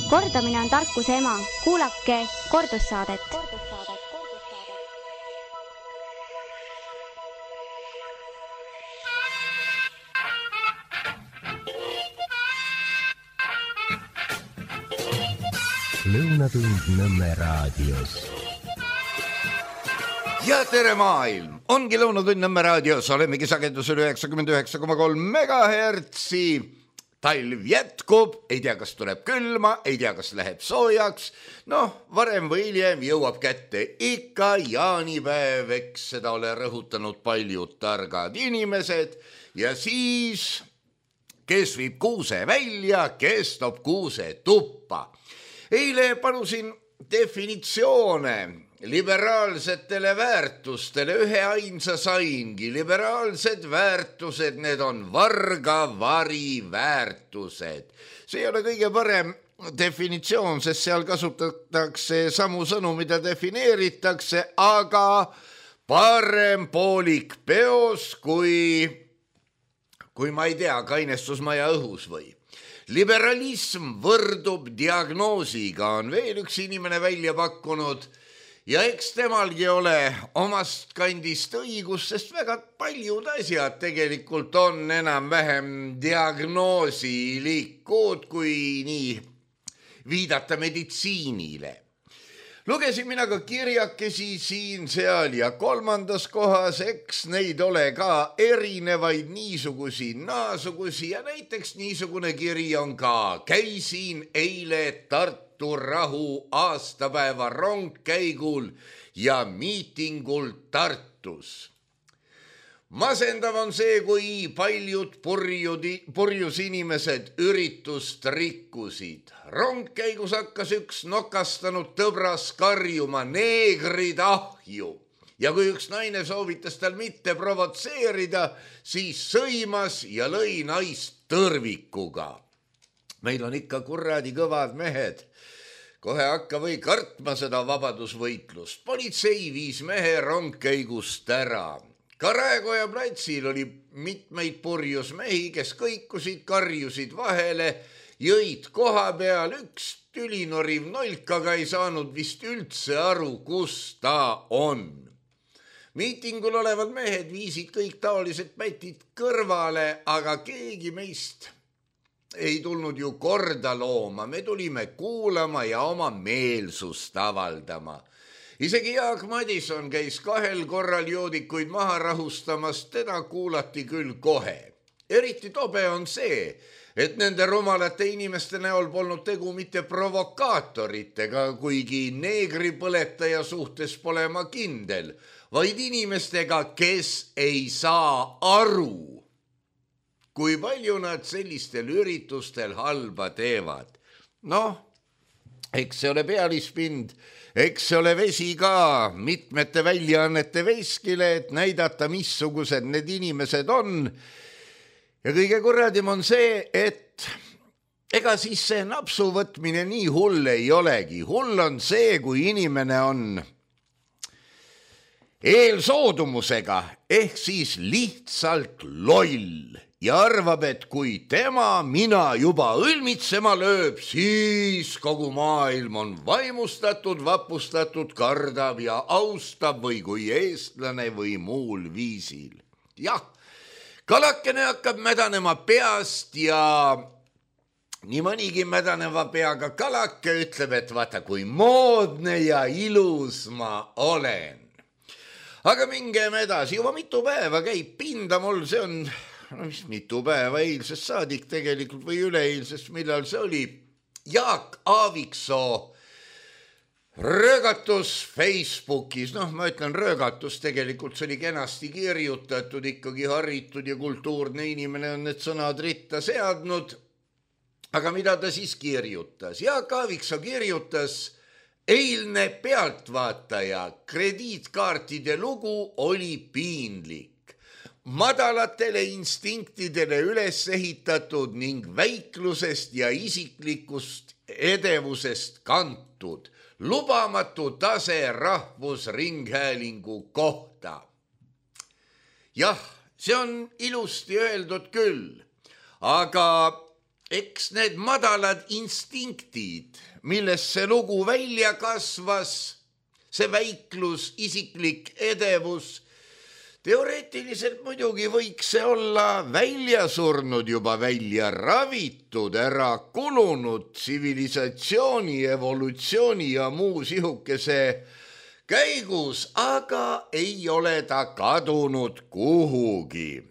Kordamine on tarkuse ema. Kuulake kordussaadet. Lõunatund Nõmme raadios. Ja tere maailm! Ongi Lõunatund Nõmme raadios. Olemegi sagedusel 99,3 megahertsi. Talv jätkub, ei tea, kas tuleb külma, ei tea, kas läheb soojaks. Varem või hiljem jõuab kätte ikka jaanipäev, eks seda ole rõhutanud paljud targad inimesed. Ja siis, kes viib kuuse välja, kes toob kuuse tuppa. Eile palusin definitsioone liberaalsetele väärtustele, ühe ainsa saingi. Liberaalsed väärtused, need on vargavari väärtused. See ei ole kõige parem definitsioon, sest seal kasutatakse samu sõnu, mida defineeritakse, aga parem poolik peos kui ma ei tea, kainestusmaja õhus või. Liberalism võrdub diagnoosiga, on veel üks inimene välja pakkunud ja eks temalgi ole omast kandist õigus, sest väga paljud asjad tegelikult on enam-vähem diagnoosilikud, kui nii viidata meditsiinile. Lugesin mina ka kirjakesi siin, seal ja kolmandas kohas, eks neid ole ka erinevaid niisugusi, naasugusi ja näiteks niisugune kiri on ka. Käisin eile Tartu rahu aastapäeva rongkäigul ja miitingul Tartus. Masendav on see, kui paljud purjus inimesed üritust rikkusid. Rongkäigus hakkas üks nokastanud tõbras karjuma neegrid ahju. Ja kui üks naine soovitas tal mitte provotseerida, siis sõimas ja lõi naist tõrvikuga. Meil on ikka kuradi kõvad mehed. Kohe hakka või kartma seda vabadusvõitlust. Politsei viis mehe rongkäigust ära. Ka Raekoja platsil oli mitmeid purjus mehi, kes kõikusid, karjusid vahele, jõid koha peal, üks tülinoriv nolk, aga ei saanud vist üldse aru, kus ta on. Miitingul olevad mehed viisid kõik taolised pätid kõrvale, aga keegi meist ei tulnud ju korda looma. Me tulime kuulama ja oma meelsust avaldama. Isegi Jaak Madison käis 2 korral joodikuid maha rahustamas, teda kuulati küll kohe. Eriti tobe on see, et nende rumalate inimeste näol polnud tegu mitte provokaatoritega, kuigi neegripõletaja suhtes pole ma kindel, vaid inimestega, kes ei saa aru, kui palju nad sellistel üritustel halba teevad. Eks see ole pealispind, eks see ole vesi ka mitmete väljaannete veskile, et näidata, missugused need inimesed on. Ja kõige kurradim on see, et ega siis see napsu võtmine nii hull ei olegi. Hull on see, kui inimene on eelsoodumusega ehk siis lihtsalt loll. Ja arvab, et kui mina juba õlmitsema lööb, siis kogu maailm on vaimustatud, vapustatud, kardab ja austab või kui eestlane või muul viisil. Jah, kalakene hakkab mädanema peast ja nii mõnigi mädaneva peaga kalake ütleb, et vaata, kui moodne ja ilus ma olen. Aga mingem edasi, juba mitu päeva käib pinda mul, see on... mis mitu päeva eilsest saadik tegelikult või üleeilsest, millal see oli Jaak Aaviksoo röögatus Facebookis. Ma ütlen röögatus, tegelikult see oli kenasti kirjutatud, ikkagi haritud ja kultuurne inimene on need sõnad ritta seadnud. Aga mida ta siis kirjutas? Jaak Aaviksoo kirjutas, eilne Pealtvaataja krediitkaartide lugu oli piinlik. Madalatele instinktidele üles ehitatud ning väiklusest ja isiklikust edevusest kantud. Lubamatu tase Rahvusringhäälingu kohta. Jah, see on ilusti öeldud küll, aga eks need madalad instinktid, millest see lugu välja kasvas, see väiklus, isiklik edevus, teoreetiliselt muidugi võiks see olla välja surnud, juba välja ravitud, ära kulunud tsivilisatsiooni, evolutsiooni ja muu sihukese käigus, aga ei ole ta kadunud kuhugi.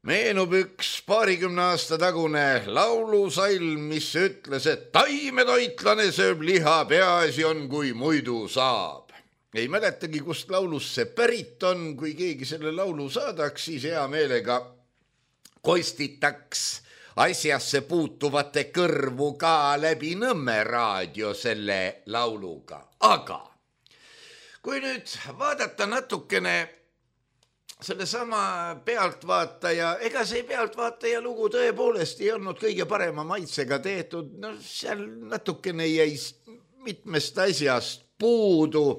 Meenub üks 20 aasta tagune laulusalm, mis ütles, et taimetoitlane sööb liha, peaasi on, kui muidu saab. Ei mäletagi, kust laulus see pärit on, kui keegi selle laulu saadaks, siis hea meelega kostitaks asjasse puutuvate kõrvu ka läbi Nõmme raadio selle lauluga. Aga kui nüüd vaadata natukene sellesama Pealtvaataja, ega see Pealtvaataja lugu tõepoolest ei olnud kõige parema maitsega tehtud, no seal natukene jäi mitmest asjast puudu.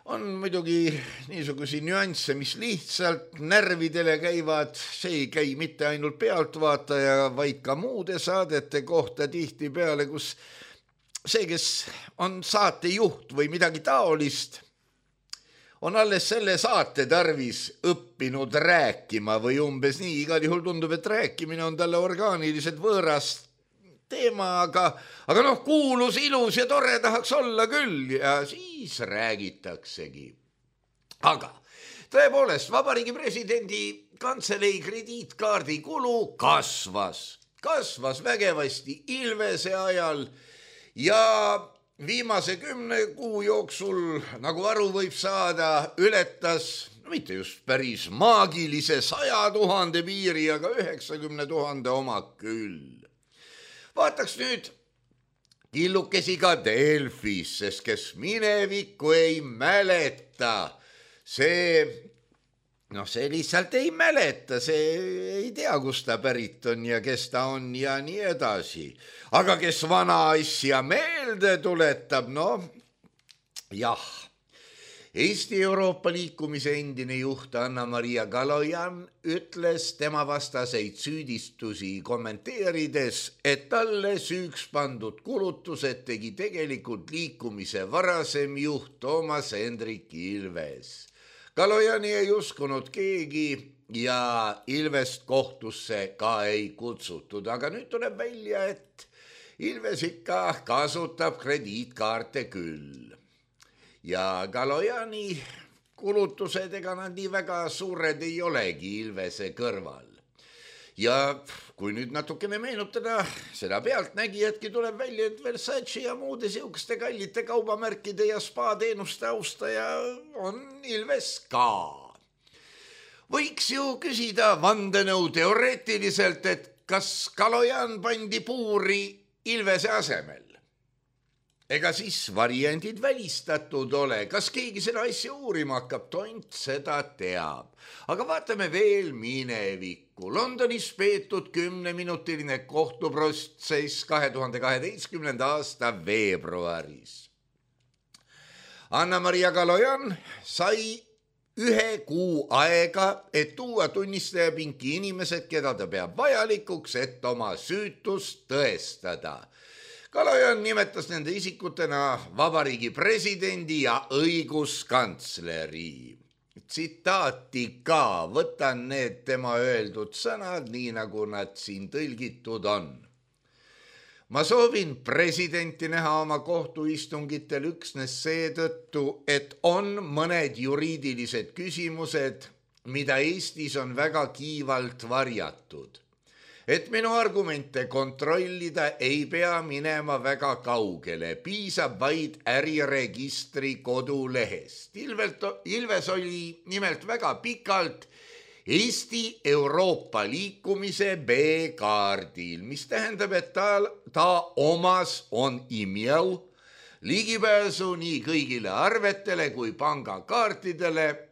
On muidugi niisugusi nüansse, mis lihtsalt närvidele käivad, see ei käi mitte ainult Pealtvaataja, vaid ka muude saadete kohta tihtipeale, kus see, kes on saatejuht või midagi taolist, on alles selle saate tarvis õppinud rääkima või umbes nii, igal juhul tundub, et rääkimine on talle orgaaniliselt võõras teema, aga noh, kuulus, ilus ja tore tahaks olla küll ja siis räägitaksegi. Aga tõepoolest, Vabariigi Presidendi Kantselei krediitkaardi kulu kasvas vägevasti Ilvese ajal ja viimase 10 kuu jooksul, nagu aru võib saada, ületas, no mitte just päris maagilise 100 000 piiri, aga 90 000 oma küll. Vaataks nüüd killukesi ka Delfis, sest kes minevikku ei mäleta, see lihtsalt ei mäleta, see ei tea, kust ta pärit on ja kes ta on ja nii edasi. Aga kes vana asja meelde tuletab, jah. Eesti Euroopa liikumise endine juht Anna-Maria Kalojan ütles tema vastaseid süüdistusi kommenteerides, et talle süüks pandud kulutused tegi tegelikult liikumise varasem juht Toomas Hendrik Ilves. Kalojani ei uskunud keegi ja Ilvest kohtusse ka ei kutsutud, aga nüüd tuleb välja, et Ilves ikka kasutab krediitkaarte küll. Ja Kalojani kulutused, ega nad nii väga suured ei olegi Ilvese kõrval. Ja kui nüüd natukene meenutada seda pealtnägijatki, tuleb välja, et Versace ja muude sihukeste kallite kaubamärkide ja spa-teenuste austaja on Ilves ka. Võiks ju küsida vandenõu teoreetiliselt, et kas Kalojan pandi puuri Ilvese asemel? Ega siis variandid välistatud ole, kas keegi seda asja uurima hakkab, tont seda teab. Aga vaatame veel minevikku. Londonis peetud 10-minutiline kohtuprotsess 2012. aasta veebruaris. Anna-Maria Kalojan sai 1 kuu aega, et tuua tunnistajapinki inimesed, keda ta peab vajalikuks, et oma süütust tõestada. Kalojan nimetas nende isikutena Vabariigi Presidendi ja õiguskantsleri. Tsitaati ka, võtan need tema öeldud sõnad, nii nagu nad siin tõlgitud on. Ma soovin presidenti näha oma kohtuistungitel üksnes seetõttu, et on mõned juriidilised küsimused, mida Eestis on väga kiivalt varjatud. Et minu argumente kontrollida ei pea minema väga kaugele, piisab vaid äriregistri kodulehest. Ilves oli nimelt väga pikalt Eesti Euroopa liikumise B-kaardil, mis tähendab, et ta omas on imjau ligipääsu nii kõigile arvetele kui pangakaartidele,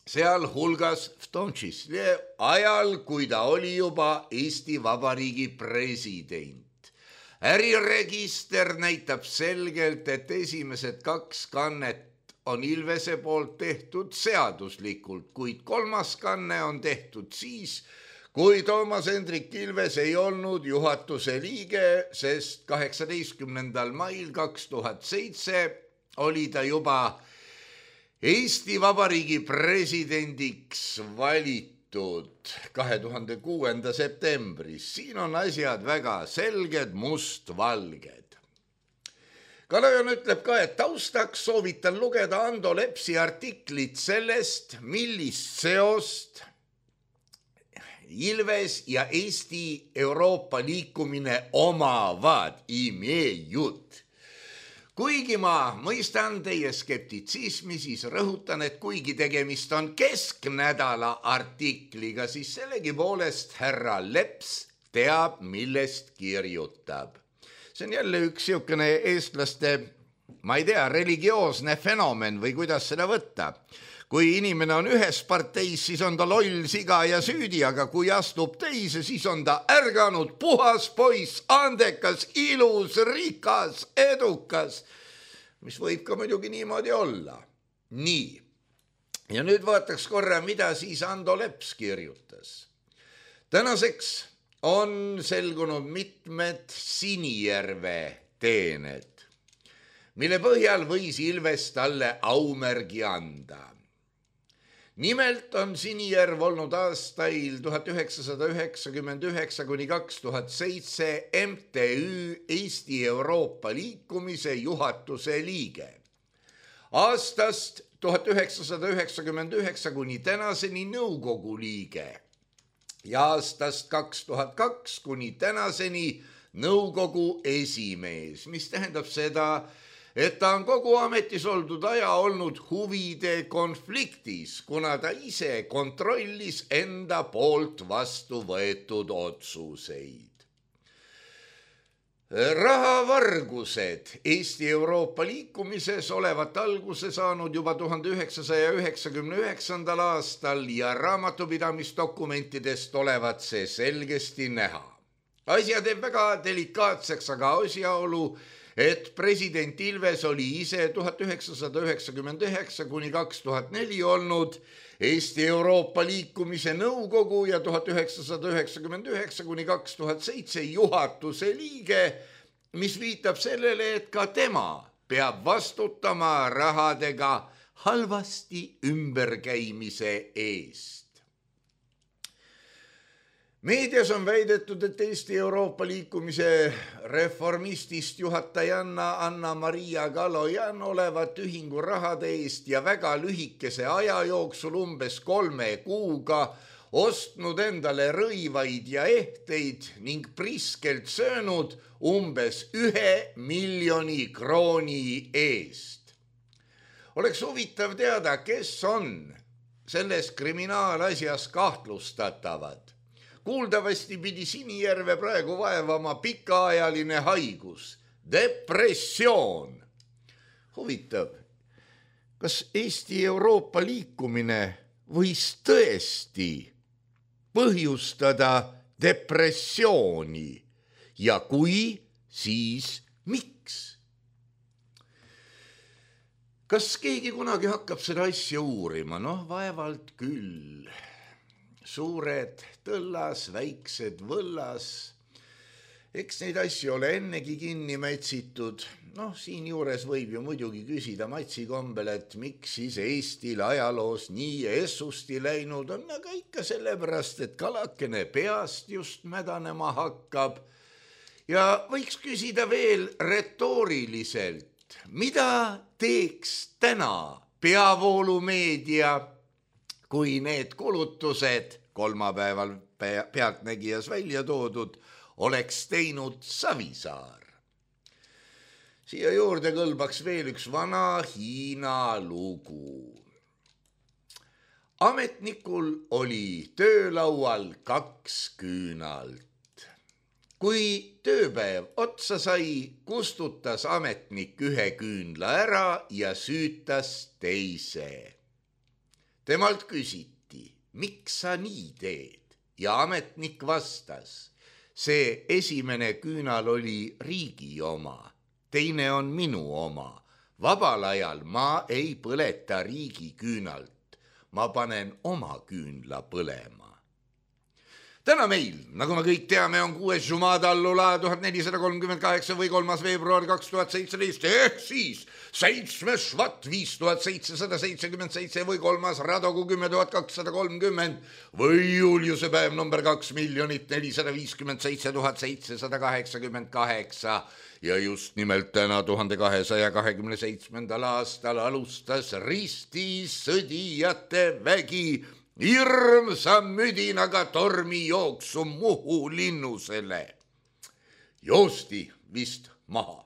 seal hulgas v tom čísle ajal, kui ta oli juba Eesti Vabariigi president. Äriregister näitab selgelt, et esimesed 2 kannet on Ilvese poolt tehtud seaduslikult, kuid 3. kanne on tehtud siis, kui Toomas Hendrik Ilves ei olnud juhatuse liige, sest 18. mail 2007 oli ta juba Eesti Vabariigi presidendiks valitud 2006. septembris. Siin on asjad väga selged, mustvalged. Kalajan ütleb ka, et taustaks soovitan lugeda Ando Lepsi artiklit sellest, millist seost Ilves ja Eesti Euroopa liikumine omavad imejut. Kuigi ma mõistan teie skeptitsismi, siis rõhutan, et kuigi tegemist on kesknädala artikliga, siis sellegipoolest härra Leps teab, millest kirjutab. See on jälle üks siukene eestlaste, ma ei tea, religioosne fenomen või kuidas seda võtta. Kui inimene on ühes parteis, siis on ta loll, siga ja süüdi, aga kui astub teise, siis on ta ärganud, puhas poiss, andekas, ilus, rikas, edukas, mis võib ka muidugi niimoodi olla. Nii, ja nüüd vaataks korra, mida siis Ando Leps kirjutas. Tänaseks on selgunud mitmed Sinijärve teened, mille põhjal võis Ilves talle aumärgi anda. Nimelt on Sinijärv olnud aastail 1999 kuni 2007 MTÜ Eesti Euroopa liikumise juhatuse liige. Aastast 1999 kuni tänaseni nõukogu liige ja aastast 2002 kuni tänaseni nõukogu esimees, mis tähendab seda, et ta on kogu ametis oldud aja olnud huvide konfliktis, kuna ta ise kontrollis enda poolt vastu võetud otsuseid. Rahavargused Eesti Euroopa liikumises olevat alguse saanud juba 1999. aastal ja raamatupidamisdokumentidest olevat see selgesti näha. Asja teeb väga delikaatseks aga asjaolu, et president Ilves oli ise 1999 kuni 2004 olnud Eesti Euroopa liikumise nõukogu ja 1999 kuni 2007 juhatuse liige, mis viitab sellele, et ka tema peab vastutama rahadega halvasti ümberkäimise eest. Meedias on väidetud, et Eesti Euroopa liikumise reformistist juhatajanna Anna-Maria Kalojan olevat ühingu rahade eest ja väga lühikese aja jooksul umbes 3 kuuga ostnud endale rõivaid ja ehteid ning priskelt söönud umbes 1 miljoni krooni eest. Oleks huvitav teada, kes on selles kriminaalasjas kahtlustatavad. Kuuldavasti pidi Sinijärve praegu vaevama pikaajaline haigus, depressioon. Huvitav, kas Eesti Euroopa liikumine võis tõesti põhjustada depressiooni ja kui, siis miks? Kas keegi kunagi hakkab seda asja uurima? Noh, vaevalt küll. Suured tõllas, väiksed võllas. Eks neid asju ole ennegi kinni mätsitud. Noh, siin juures võib ju muidugi küsida Matsi kombel, et miks siis Eestil ajaloos nii essusti läinud on, aga ikka sellepärast, et kalakene peast just mädanema hakkab. Ja võiks küsida veel retooriliselt, mida teeks täna peavoolumeedia, kui need kulutused kolmapäeval Pealtnägijas välja toodud oleks teinud Savisaar. Siia juurde kõlbaks veel üks vana Hiina lugu. Ametnikul oli töölaual 2 küünalt. Kui tööpäev otsa sai, kustutas ametnik 1 küünla ära ja süütas teise. Temalt küsiti, miks sa nii teed? Ja ametnik vastas, see esimene küünal oli riigi oma, teine on minu oma. Vabal ajal ma ei põleta riigi küünalt, ma panen oma küünla põlema. Täna meil, nagu me kõik teame, on 6. Jumada allula 1438 või 3. veebruar 2017 ehk siis 7. Švat 5777 või 3. Radogu 10230 või Juliuse päev number 2 457 788 ja just nimelt täna 1227. aastal alustas ristisõdijate vägi hirmsa müdinaga tormijooksu Muhu linnusele. Joosti vist maha.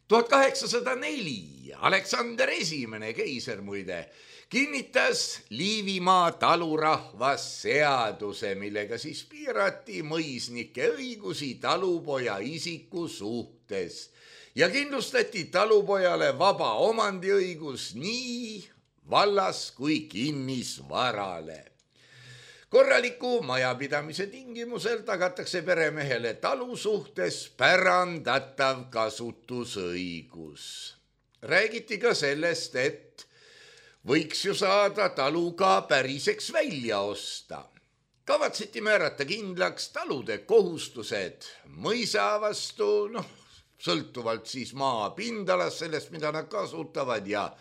1804 Aleksander I, keiser muide, kinnitas Liivimaa talurahvas seaduse, millega siis piirati mõisnike õigusi talupoja isiku suhtes ja kindlustati talupojale vaba omandiõigus nii vallas kui kinnisvarale. Korraliku majapidamise tingimusel tagatakse peremehele talu suhtes pärandatav kasutusõigus. Räägiti ka sellest, et võiks ju saada talu ka päriseks välja osta. Kavatseti määrata kindlaks talude kohustused mõisa vastu, sõltuvalt siis maa pindalast, sellest, mida nad kasutavad ja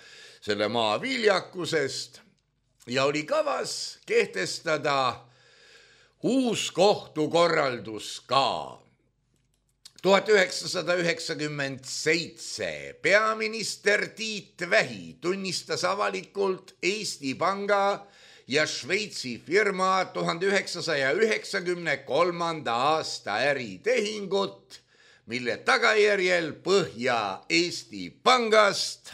selle maa viljakusest ja oli kavas kehtestada uus kohtukorraldus ka. 1997 peaminister Tiit Vähi tunnistas avalikult Eesti Panga ja Šveitsi firma 1993. aasta äritehingut, mille tagajärjel Põhja-Eesti Pangast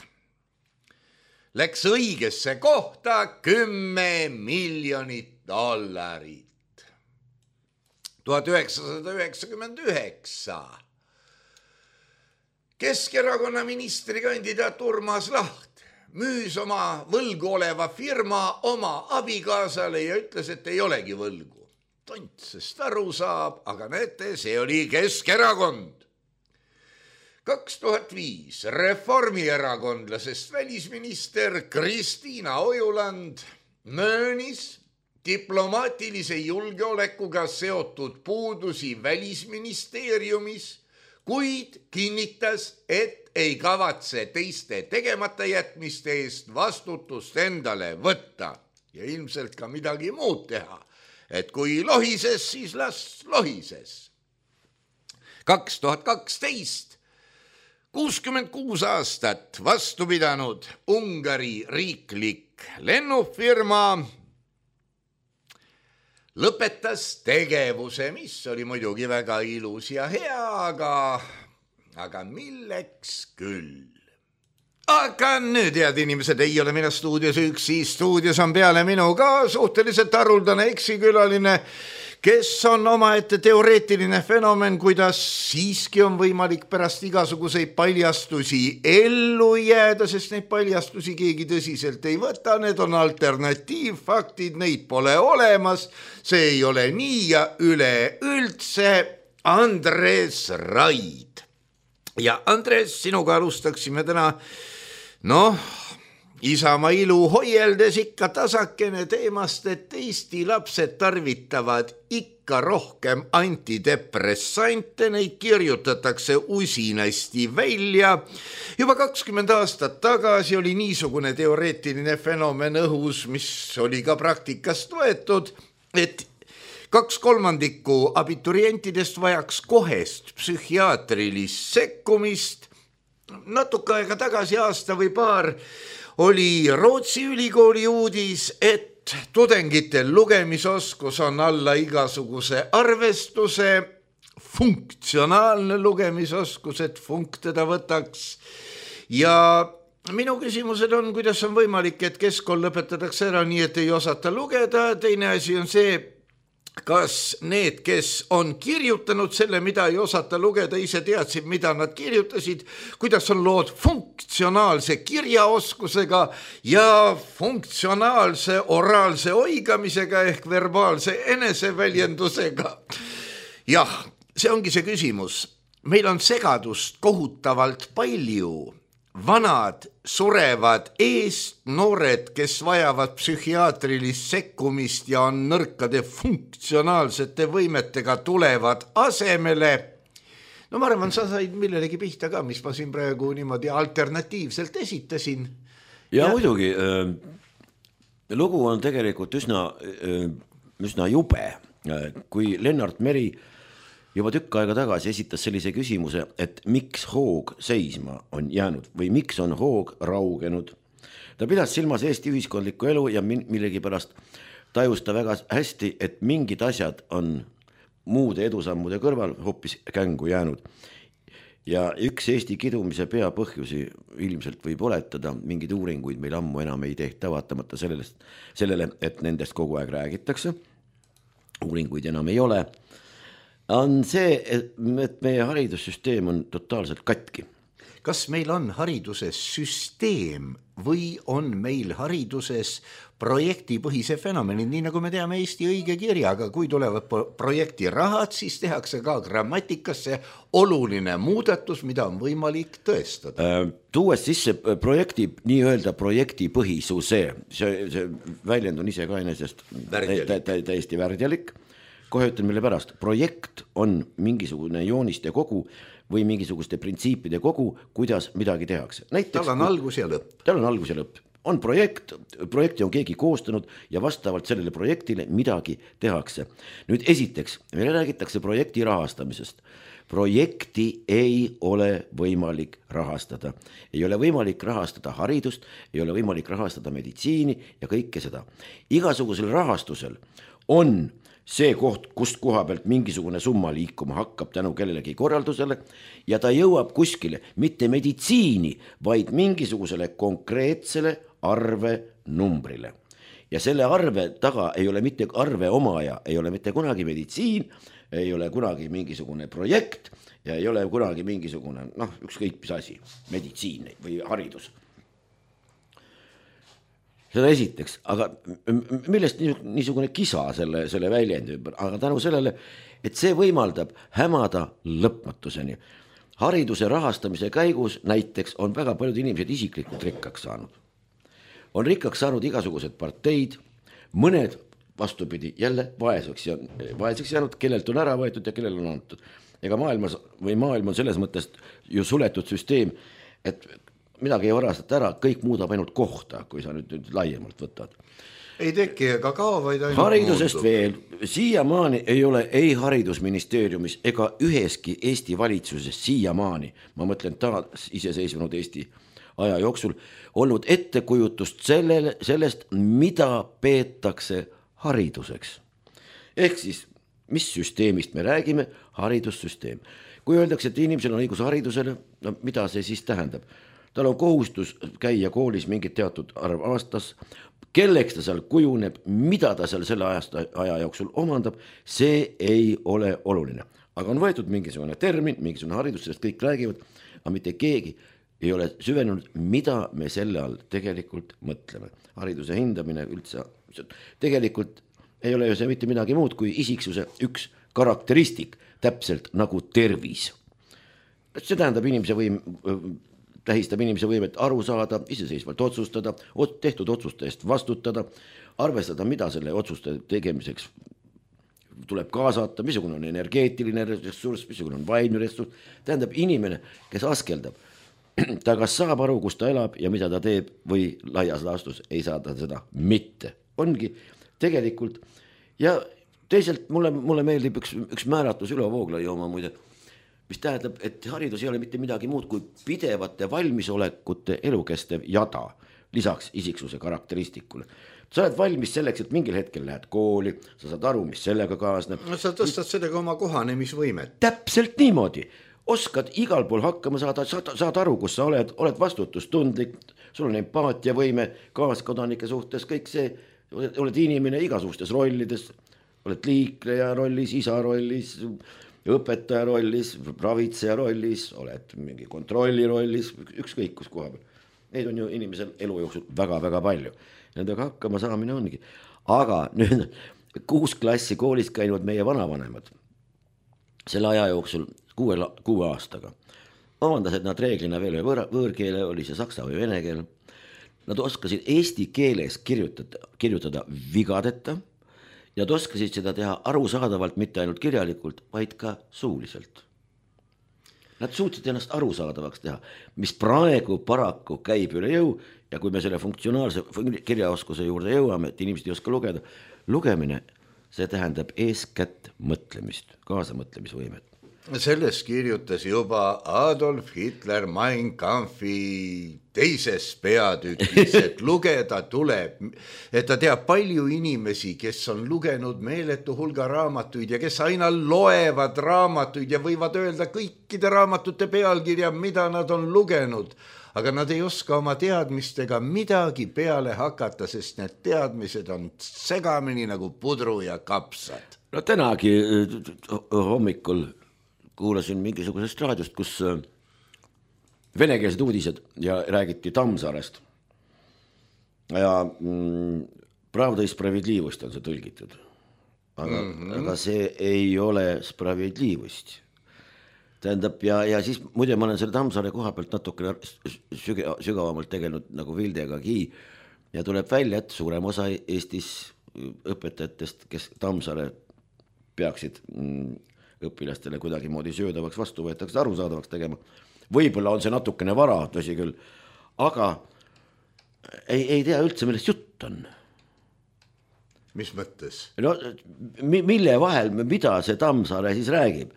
läks õigesse kohta $10 miljonit. 1999 Keskerakonna ministrikandidaat Urmas Laht müüs oma võlgu oleva firma oma abikaasale ja ütles, et ei olegi võlgu. Tont sest aru saab, aga näete, see oli Keskerakond. 2005 reformierakondlasest välisminister Kristiina Ojuland möönis diplomaatilise julgeolekuga seotud puudusi välisministeeriumis, kuid kinnitas, et ei kavatse teiste tegemata jätmiste eest vastutust endale võtta ja ilmselt ka midagi muud teha, et kui lohises, siis las lohises. 2012 66 aastat vastu pidanud Ungari riiklik lennufirma lõpetas tegevuse, mis oli muidugi väga ilus ja hea, aga milleks küll. Aga nüüd, head inimesed, ei ole mina stuudios üksi, stuudios on peale minu ka suhteliselt haruldane eksikülaline, kes on omaette teoreetiline fenomen, kuidas siiski on võimalik pärast igasuguseid paljastusi ellu jääda, sest neid paljastusi keegi tõsiselt ei võta, need on alternatiivfaktid, neid pole olemas, see ei ole nii ja üleüldse. Andres Raid. Ja Andres, sinuga alustaksime täna, Isamaa ilu hoieldes ikka tasakene teemast, et Eesti lapsed tarvitavad ikka rohkem antidepressante, neid kirjutatakse usinasti välja. Juba 20 aastat tagasi oli niisugune teoreetiline fenomen õhus, mis oli ka praktikast võetud, et 2/3 abiturientidest vajaks kohest psühhiaatrilist sekkumist. Natuke aega tagasi, aasta või paar, oli Rootsi ülikooli uudis, et tudengitel lugemisoskus on alla igasuguse arvestuse, funktsionaalne lugemisoskus, et funk teda võtaks. Ja minu küsimused on, kuidas on võimalik, et keskkool lõpetatakse ära nii, et ei osata lugeda. Teine asi on see, kas need, kes on kirjutanud selle, mida ei osata lugeda, ise teadsid, mida nad kirjutasid, kuidas on lood funktsionaalse kirjaoskusega ja funktsionaalse oraalse oigamisega ehk verbaalse eneseväljendusega. Jah, see ongi see küsimus. Meil on segadust kohutavalt palju, vanad surevad eest, noored, kes vajavad psühhiaatrilist sekkumist ja on nõrkade funktsionaalsete võimetega, tulevad asemele. No ma arvan, sa said millelegi pihta ka, mis ma siin praegu niimoodi alternatiivselt esitasin. Ja muidugi, lugu on tegelikult üsna jube, kui Lennart Meri juba tükk aega tagasi esitas sellise küsimuse, et miks hoog seisma on jäänud või miks on hoog raugenud. Ta pidas silmas Eesti ühiskondlikku elu ja millegipärast tajus ta väga hästi, et mingid asjad on muude edusammude kõrval hoopis kängu jäänud. Ja üks Eesti kidumise peapõhjusi ilmselt võib oletada, mingid uuringuid meil ammu enam ei tehta, vaatamata sellele, et nendest kogu aeg räägitakse. Uuringuid enam ei ole. On see, et meie haridussüsteem on totaalselt katki. Kas meil on hariduses süsteem või on meil hariduses projektipõhise fenomeni, nii nagu me teame Eesti õige kirjaga, kui tulevad projekti rahad, siis tehakse ka grammatikasse oluline muudatus, mida on võimalik tõestada. Tuues sisse nii-öelda projektipõhisuse, see väljend on ise ka enesest täiesti värdjalik. Kohe ütlen mille pärast, projekt on mingisugune jooniste kogu või mingisuguste printsiipide kogu, kuidas midagi tehakse. Tal on algus ja lõpp. Tal on algus ja lõpp. On projekti on keegi koostanud ja vastavalt sellele projektile midagi tehakse. Nüüd esiteks, meile räägitakse projekti rahastamisest. Projekti ei ole võimalik rahastada. Ei ole võimalik rahastada haridust, ei ole võimalik rahastada meditsiini ja kõike seda. Igasugusel rahastusel on see koht, kust koha pealt mingisugune summa liikuma hakkab tänu kellelegi korraldusele ja ta jõuab kuskile mitte meditsiini, vaid mingisugusele konkreetsele arve numbrile. Ja selle arve taga ei ole mitte arve omaja, ei ole mitte kunagi meditsiin, ei ole kunagi mingisugune projekt ja ei ole kunagi mingisugune, ükskõik mis asi, meditsiin või haridus. Seda esiteks, aga millest niisugune kisa selle väljendi ümber, aga tänu sellele, et see võimaldab hämada lõpmatuseni. Hariduse rahastamise käigus näiteks on väga paljud inimesed isiklikult rikkaks saanud. On rikkaks saanud igasugused parteid, mõned vastupidi jälle vaeseks jäänud, kellelt on ära võetud ja kellel on antud. Ega maailm on selles mõttes ju suletud süsteem, et midagi ei varastata ära, kõik muudab ainult kohta, kui sa nüüd laiemalt võtad. Ei teki ega kao, vaid ainult haridusest muutub. Veel, siiamaani ei ole ei haridusministeeriumis ega üheski Eesti valitsuses siiamaani, ma mõtlen taas iseseisvunud Eesti aja jooksul, olnud ettekujutust sellest, mida peetakse hariduseks. Ehk siis, mis süsteemist me räägime? Haridussüsteem. Kui öeldakse, et inimesel on õigus haridusele, mida see siis tähendab? Tal on kohustus käia koolis mingit teatud arv aastas, kelleks ta seal kujuneb, mida ta seal selle aja jooksul omandab, see ei ole oluline. Aga on võetud mingisugune termin, mingisugune haridus, sellest kõik räägivad, aga mitte keegi ei ole süvenenud, mida me selle all tegelikult mõtleme. Hariduse hindamine üldse, tegelikult ei ole ju see mitte midagi muud kui isiksuse üks karakteristik, täpselt nagu tervis. See tähendab tähistab inimese võimet aru saada, iseseisvalt otsustada, tehtud otsuste eest vastutada, arvestada, mida selle otsuste tegemiseks tuleb kaasata, missugune on energeetiline ressurss, missugune on vaimne ressurss. Tähendab inimene, kes askeldab, ta kas saab aru, kus ta elab ja mida ta teeb või laias laastus ei saa ta seda mitte. Ongi tegelikult ja teisalt mulle meeldib üks määratus Ülo Vooglaiu oma muide, mis tähendab, et haridus ei ole mitte midagi muud kui pidevate valmisolekute elukestev jada, lisaks isiksuse karakteristikule. Sa oled valmis selleks, et mingil hetkel lähed kooli, sa saad aru, mis sellega kaasneb. No sa tõstad sellega oma kohanemisvõimet. Täpselt niimoodi. Oskad igal pool hakkama saad aru, kus sa oled vastutustundlik, sul on empaatiavõime, kaaskodanike suhtes, kõik see, oled inimene igasugustes rollides, oled liikleja rollis, isa rollis, õpetaja rollis, ravitseja rollis, oled mingi kontrolli rollis, ükskõik kus koha peal. Neid on ju inimesel elu jooksul väga-väga palju. Nendega hakkama saamine ongi. Aga nüüd 6 klassi koolis käinud meie vanavanemad selle aja jooksul 6 aastaga omandasid nad reeglina veel võõrkeele, oli see saksa või vene keel. Nad oskasid eesti keeles kirjutada vigadeta ja nad oskasid seda teha arusaadavalt, mitte ainult kirjalikult, vaid ka suuliselt. Nad suutsid ennast arusaadavaks teha, mis praegu paraku käib üle jõu ja kui me selle funktsionaalse kirjaoskuse juurde jõuame, et inimesed ei oska lugeda, lugemine, see tähendab eeskätt mõtlemist, kaasamõtlemisvõimet. Sellest kirjutas juba Adolf Hitler Mein Kampfi teises peatükis, et lugeda tuleb, et ta teab palju inimesi, kes on lugenud meeletu hulga raamatuid ja kes aina loevad raamatuid ja võivad öelda kõikide raamatute pealkirja, mida nad on lugenud, aga nad ei oska oma teadmistega midagi peale hakata, sest need teadmised on segamini nagu pudru ja kapsad. No tänagi hommikul kuulasin mingisugusest raadiost, kus venekeelsed uudised ja räägiti Tammsaarest. Ja Pravda i spravedlivust on see tõlgitud. Aga see ei ole spravedlivust. Tähendab, ja siis muide ma olen selle Tammsaare koha pealt natuke sügavamalt tegelenud nagu Vildegagi ja tuleb välja, et suurem osa Eestis õpetajatest, kes Tammsaare peaksid õpilastele kuidagi moodi söödavaks vastu võetakse arusaadavaks tegema. Võib-olla on see natukene vara, tõsi küll, aga ei tea üldse, millest jutt on. Mis mõttes? No, mille vahel, mida see Tammsaare siis räägib?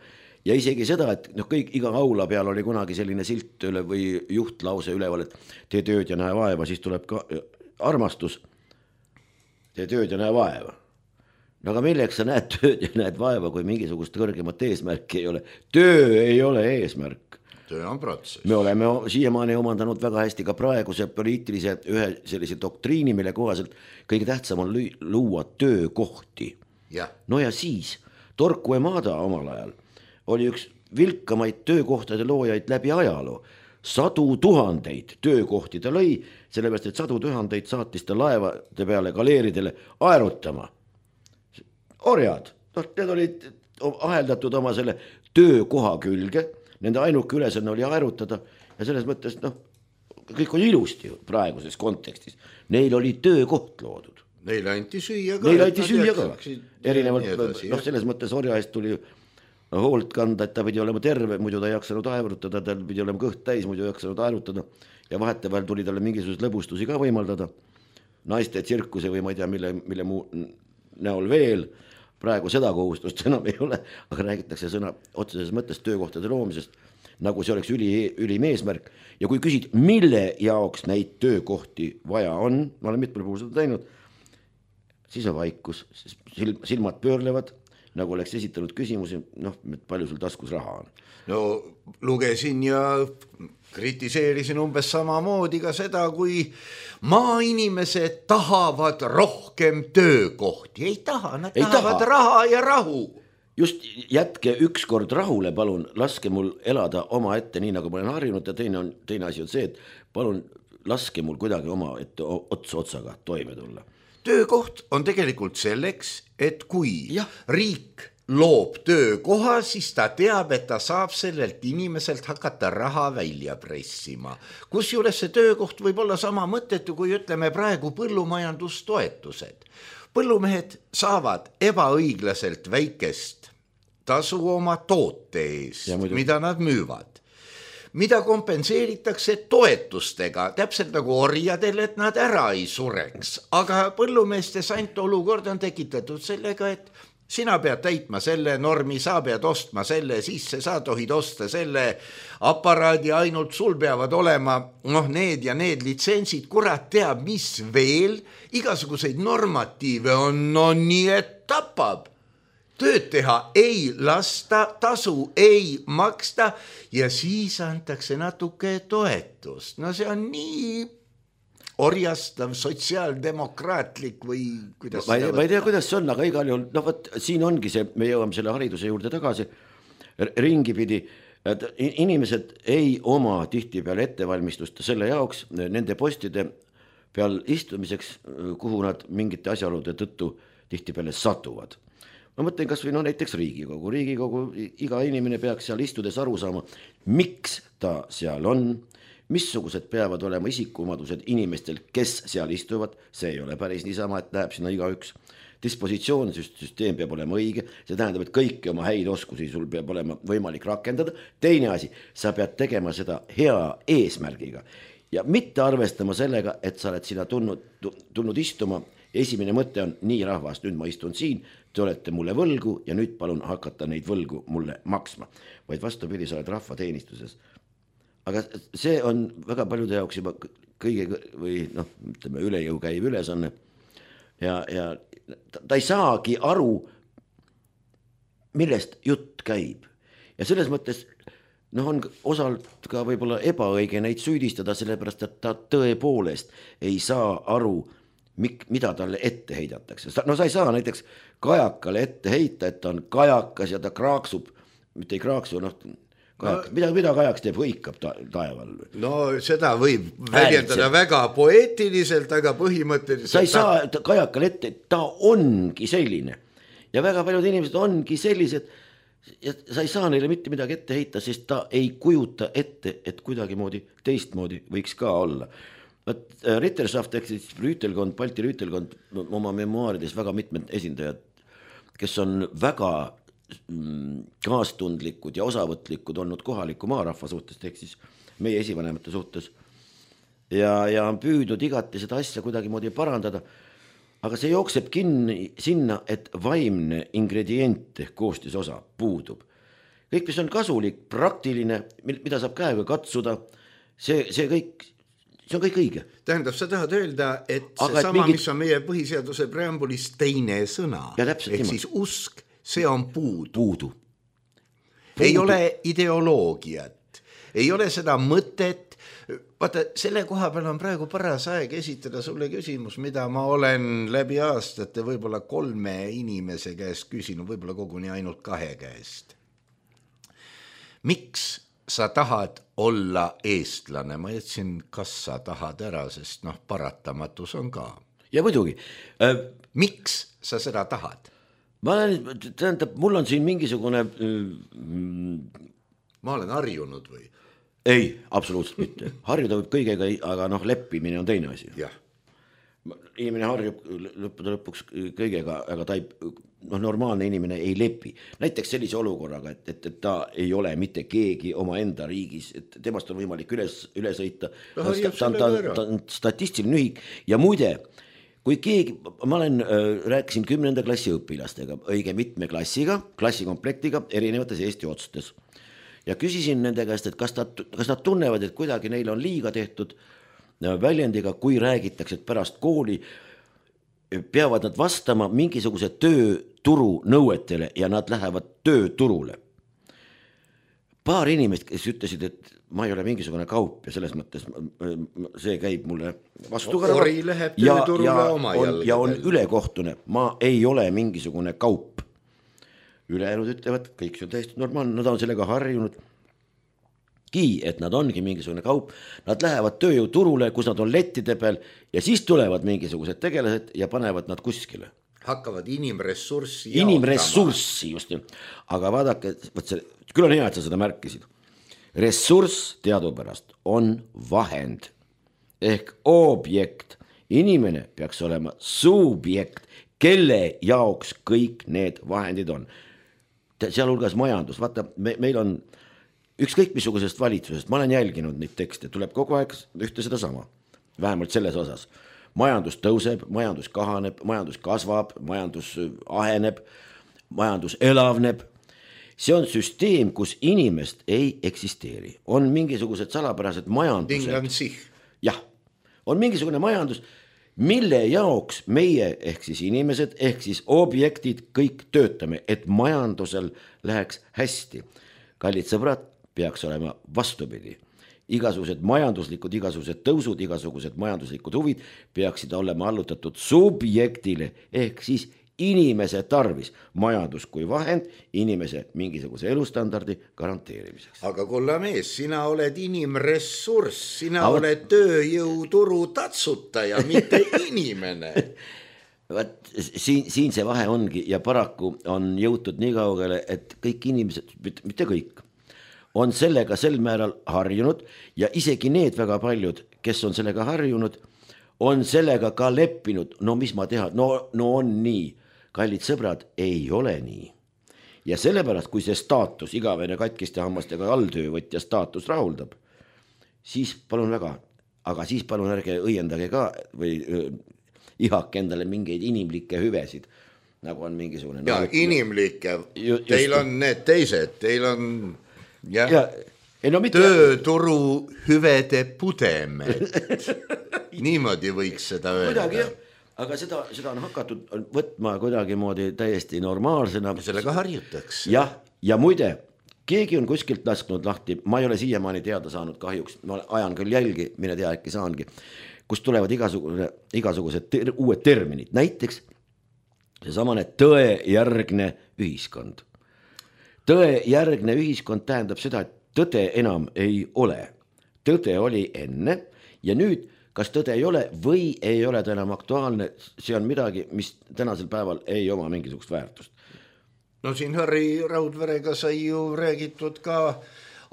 Ja isegi seda, et iga aula peal oli kunagi selline silt üle või juhtlause üleval, et tee tööd ja näe vaeva, siis tuleb ka armastus, tee tööd ja näe vaeva. No aga milleks sa näed tööd ja näed vaeva, kui mingisugust kõrgemat eesmärki ei ole? Töö ei ole eesmärk. Töö on protsess. Me oleme siiamaani omandanud väga hästi ka praeguse poliitilise ühe sellise doktriini, mille kohaselt kõige tähtsam on luua töökohti. Ja. No ja siis Torku Emada omal ajal oli üks vilkamaid töökohtade loojaid läbi ajaloo. 100 000 töökohti ta lõi, sellepärast et 100 000 saatis ta laevade peale galeeridele aerutama. Orjad, need olid aheldatud oma selle töökoha külge, nende ainuke ülesanne oli aerutada ja selles mõttes, kõik oli ilusti praeguses kontekstis. Neil oli töökoht loodud. Neile anti süüa ka. Neile anti süüa ka. Erinevalt, selles mõttes orja eest tuli hoolt kanda, et ta pidi olema terve, muidu ta ei jaksanud aerutada, ta pidi olema kõht täis, muidu ei jaksanud aerutada ja vahetevahel tuli talle mingisugused lõbustusi ka võimaldada. Naiste tsirkuse või ma ei tea, mille muu näol veel. Praegu seda kohustust enam ei ole, aga räägitakse sõna otseses mõttes töökohtade loomisest, nagu see oleks ülim eesmärk. Ja kui küsid, mille jaoks neid töökohti vaja on, ma olen mitmel puhul seda teinud, siis on vaikus, silmad pöörlevad, nagu oleks esitanud küsimusi, palju sul taskus raha on. No lugesin ja kritiseerisin umbes samamoodi ka seda, kui maainimesed tahavad rohkem töökohti. Ei taha, nad tahavad raha ja rahu. Just jätke ükskord rahule, palun, laske mul elada oma ette nii, nagu ma olen harjunud ja teine asi on see, et palun laske mul kuidagi oma ette otsaga toime tulla. Töökoht on tegelikult selleks, et kui riik loob töökoha, siis ta teab, et ta saab sellelt inimeselt hakata raha välja pressima. Kusjuures see töökoht võib olla sama mõttetu, kui ütleme praegu põllumajandustoetused. Põllumehed saavad ebaõiglaselt väikest tasu oma toote eest, mida nad müüvad. Mida kompenseeritakse toetustega, täpselt nagu orjadel, et nad ära ei sureks. Aga põllumeeste sant olukord on tekitatud sellega, et sina pead täitma selle normi, sa pead ostma selle sisse, sa tohid osta selle aparaadi, ainult sul peavad olema need ja need litsentsid, kurat teab, mis veel, igasuguseid normatiive on nii, et tapab. Tööd teha ei lasta, tasu ei maksta ja siis antakse natuke toetust. No see on nii orjastav, sotsiaaldemokraatlik või kuidas ma ei tea, kuidas see on, aga igal juhul, siin ongi see, me jõuame selle hariduse juurde tagasi, ringipidi, et inimesed ei oma tihti peale ettevalmistust selle jaoks nende postide peal istumiseks, kuhu nad mingite asjaolude tõttu tihti peale satuvad. ma mõtlen kas või näiteks Riigikogu, iga inimene peaks seal istudes aru saama, miks ta seal on, missugused peavad olema isikuomadused inimestel, kes seal istuvad, see ei ole päris niisama, et läheb sinna igaüks. Dispositsioonsüsteem peab olema õige, see tähendab, et kõiki oma häid oskusi sul peab olema võimalik rakendada. Teine asi, sa pead tegema seda hea eesmärgiga ja mitte arvestama sellega, et sa oled sinna tulnud istuma. Esimene mõte on, nii rahvas, nüüd ma istun siin, te olete mulle võlgu ja nüüd palun hakata neid võlgu mulle maksma. Vaid vastupidi, sa oled rahvateenistuses. Aga see on väga paljude jaoks juba kõige või ütleme, üle jõu käiv ülesanne ja ta ei saagi aru, millest jutt käib. Ja selles mõttes on osalt ka võib-olla ebaõige neid süüdistada, sellepärast, et ta tõepoolest ei saa aru, mida talle ette heidatakse. Sa ei saa näiteks kajakale ette heita, et ta on kajakas ja ta kraaksub, mitte ei kraaksu, mida kajaks teeb, hõikab taeval. No seda võib väljendada väga poeetiliselt, aga põhimõtteliselt. Sa ei saa kajakale ette, ta ongi selline. Ja väga paljud inimesed ongi sellised, ja sa ei saa neile mitte midagi ette heita, sest ta ei kujuta ette, et kuidagimoodi teistmoodi võiks ka olla. Ritterschaft ehk siis rüütelkond, Balti rüütelkond, oma memuaarides väga mitmed esindajad, kes on väga kaastundlikud ja osavõtlikud olnud kohaliku maarahva suhtes, ehk siis meie esivanemate suhtes ja on püüdnud igati seda asja kuidagimoodi parandada, aga see jookseb kinni sinna, et vaimne ingredient ehk koostisosa puudub. Kõik, mis on kasulik, praktiline, mida saab käega katsuda, see on kõik õige. Tähendab, sa tahad öelda, et see sama, mis on meie põhiseaduse preambulis teine sõna, ehk siis usk, see on puudu. Ei ole ideoloogiat, ei ole seda mõtet. Vaata, selle koha peal on praegu paras aeg esitada sulle küsimus, mida ma olen läbi aastate võib-olla 3 inimese käest küsinud, võib-olla koguni ainult 2 käest. Miks sa tahad olla eestlane? Ma jätsin, kas sa tahad ära, sest paratamatus on ka. Ja muidugi. Miks sa seda tahad? Tähendab, mul on siin mingisugune... Ma olen harjunud või? Ei, absoluutselt mitte. Harjuda võib kõigega, aga leppimine on teine asi. Jah. Inimene harjub lõpuks kõigega, aga ta normaalne inimene ei lepi. Näiteks sellise olukorraga, et ta ei ole mitte keegi oma enda riigis, et temast on võimalik üle sõita. Ta on statistiline ühik ja muide, kui keegi, ma rääkisin 10. klassi õpilastega, õige mitme klassikomplektiga erinevates Eesti otstes ja küsisin nende käest, et kas nad tunnevad, et kuidagi neil on liiga tehtud väljendiga, kui räägitakse, et pärast kooli peavad nad vastama mingisuguse tööturu nõuetele ja nad lähevad tööturule. Paar inimest, kes ütlesid, et ma ei ole mingisugune kaup ja selles mõttes see käib mulle vastu Ori läheb tööturule oma jalgadel. Ja on ülekohtune, ma ei ole mingisugune kaup. Ülejäänud ütlevad, kõik see on täiesti normaalne, nad on sellega harjunud. Et nad ongi mingisugune kaup, nad lähevad tööjõuturule, kus nad on lettide peal ja siis tulevad mingisugused tegelased ja panevad nad kuskile. Hakkavad inimressurssi just. Aga vaadake, küll on hea, et sa seda märkisid. Ressurss teadupärast on vahend ehk objekt. Inimene peaks olema subjekt, kelle jaoks kõik need vahendid on. Sealhulgas majandus. Vaata, meil on ükskõik missugusest valitsusest, ma olen jälginud neid tekste, tuleb kogu aeg ühte seda sama, vähemalt selles osas. Majandus tõuseb, majandus kahaneb, majandus kasvab, majandus aheneb, majandus elavneb. See on süsteem, kus inimest ei eksisteeri. On mingisugused salapärased majandused. Jah, on mingisugune majandus, mille jaoks meie ehk siis inimesed, ehk siis objektid kõik töötame, et majandusel läheks hästi. Kallid sõbrad, peaks olema vastupidi. Igasugused majanduslikud, igasugused tõusud, igasugused majanduslikud huvid peaksid olema allutatud subjektile ehk siis inimese tarvis. Majandus kui vahend inimese mingisuguse elustandardi garanteerimiseks. Aga kulla mees, sina oled inimressurss, sina oled tööjõuturu tatsutaja, mitte inimene. siin see vahe ongi ja paraku on jõutud nii kaugele, et kõik inimesed, mitte kõik, on sellega sel määral harjunud ja isegi need väga paljud, kes on sellega harjunud, on sellega ka leppinud. No mis ma teha? No on nii. Kallid sõbrad, ei ole nii. Ja sellepärast, kui see staatus, igavene katkiste hammastega alltöövõtja staatus rahuldab, siis palun väga, aga siis palun ärge õiendage ka või ihake endale mingeid inimlikke hüvesid, nagu on mingisugune... Ja inimlikke, teil on need teised, teil on tööturu hüvede pudemed. Niimoodi võiks seda öelda. Aga seda on hakatud võtma kuidagi moodi täiesti normaalsena. Sellega harjutakse. Ja muide, keegi on kuskilt lasknud lahti, ma ei ole siiamaani teada saanud kahjuks, ma ajan küll jälgi, mine tea, äkki saangi, kus tulevad igasugused uued terminid, näiteks seesamane tõejärgne ühiskond. Tõejärgne ühiskond tähendab seda, et tõde enam ei ole. Tõde oli enne ja nüüd, kas tõde ei ole või ei ole ta enam aktuaalne, see on midagi, mis tänasel päeval ei oma mingisugust väärtust. No siin Harri Raudverega sai ju räägitud ka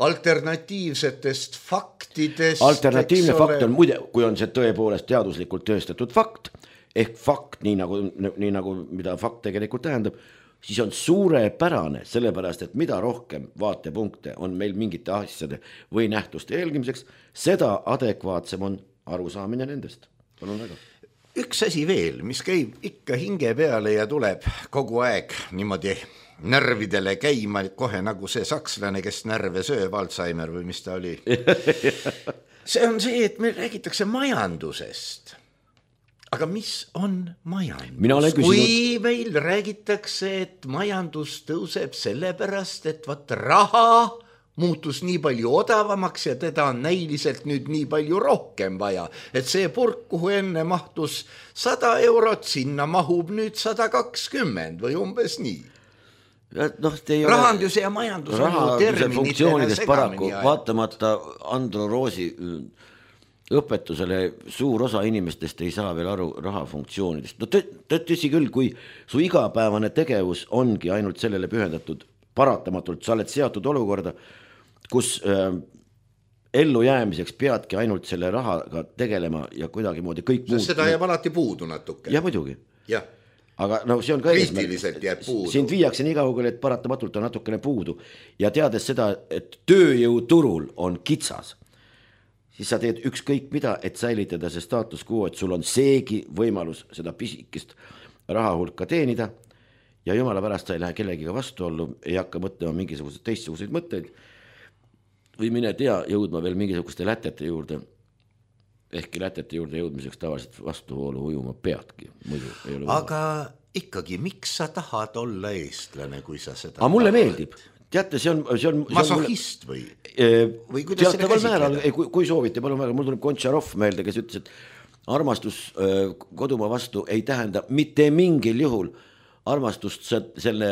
alternatiivsetest faktidest. Alternatiivne fakt on muide, kui on see tõepoolest teaduslikult tõestatud fakt, ehk fakt, nii nagu mida fakt tegelikult tähendab, siis on suurepärane, sellepärast, et mida rohkem vaatepunkte on meil mingite asjade või nähtuste jälgimiseks, seda adekvaatsem on arusaamine nendest. Palun väga. Üks asi veel, mis käib ikka hinge peale ja tuleb kogu aeg niimoodi närvidele käima, kohe nagu see sakslane, kes närve sööb, Alzheimer või mis ta oli. See on see, et meil räägitakse majandusest. Aga mis on majandus? Kui meil räägitakse, et majandus tõuseb sellepärast, et raha muutus nii palju odavamaks ja teda on näiliselt nüüd nii palju rohkem vaja, et see purk, kuhu enne mahtus 100 eurot, sinna mahub nüüd 120 või umbes nii. Rahanduse ja majandus on ju terminitena segamini. Vaatamata Andro Roosi õpetusele suur osa inimestest ei saa veel aru raha funktsioonidest. No tõsi küll, kui su igapäevane tegevus ongi ainult sellele pühendatud, paratamatult sa oled seatud olukorda, kus ellu jäämiseks peadki ainult selle rahaga tegelema ja kuidagi moodi kõik muud. Seda jääb alati puudu natuke. Ja muidugi. Jah. Aga see on ka kriitiliselt jääb puudu. Sind viiakse nii kaugele, et paratamatult on natukene puudu. Ja teades seda, et tööjõuturul on kitsas, siis sa teed ükskõik mida, et säilitada see staatus quo, et sul on seegi võimalus seda pisikest raha hulka teenida ja jumala pärast sa ei lähe kellegiga vastuollu, ei hakka mõtlema mingisuguseid teistsuguseid mõtteid või mine tea jõudma veel mingisuguste lätete juurde, ehkki lätete juurde jõudmiseks tavaliselt vastuvoolu ujuma peadki. Aga ikkagi, miks sa tahad olla eestlane, kui sa seda tahad? Mulle meeldib. Teate, see on masohist või? Või kuidas selle käsitleda? Kui soovite, palun väga, mul tuleb Gontšarov meelde, kes ütles, et armastus kodumaa vastu ei tähenda mitte mingil juhul armastust selle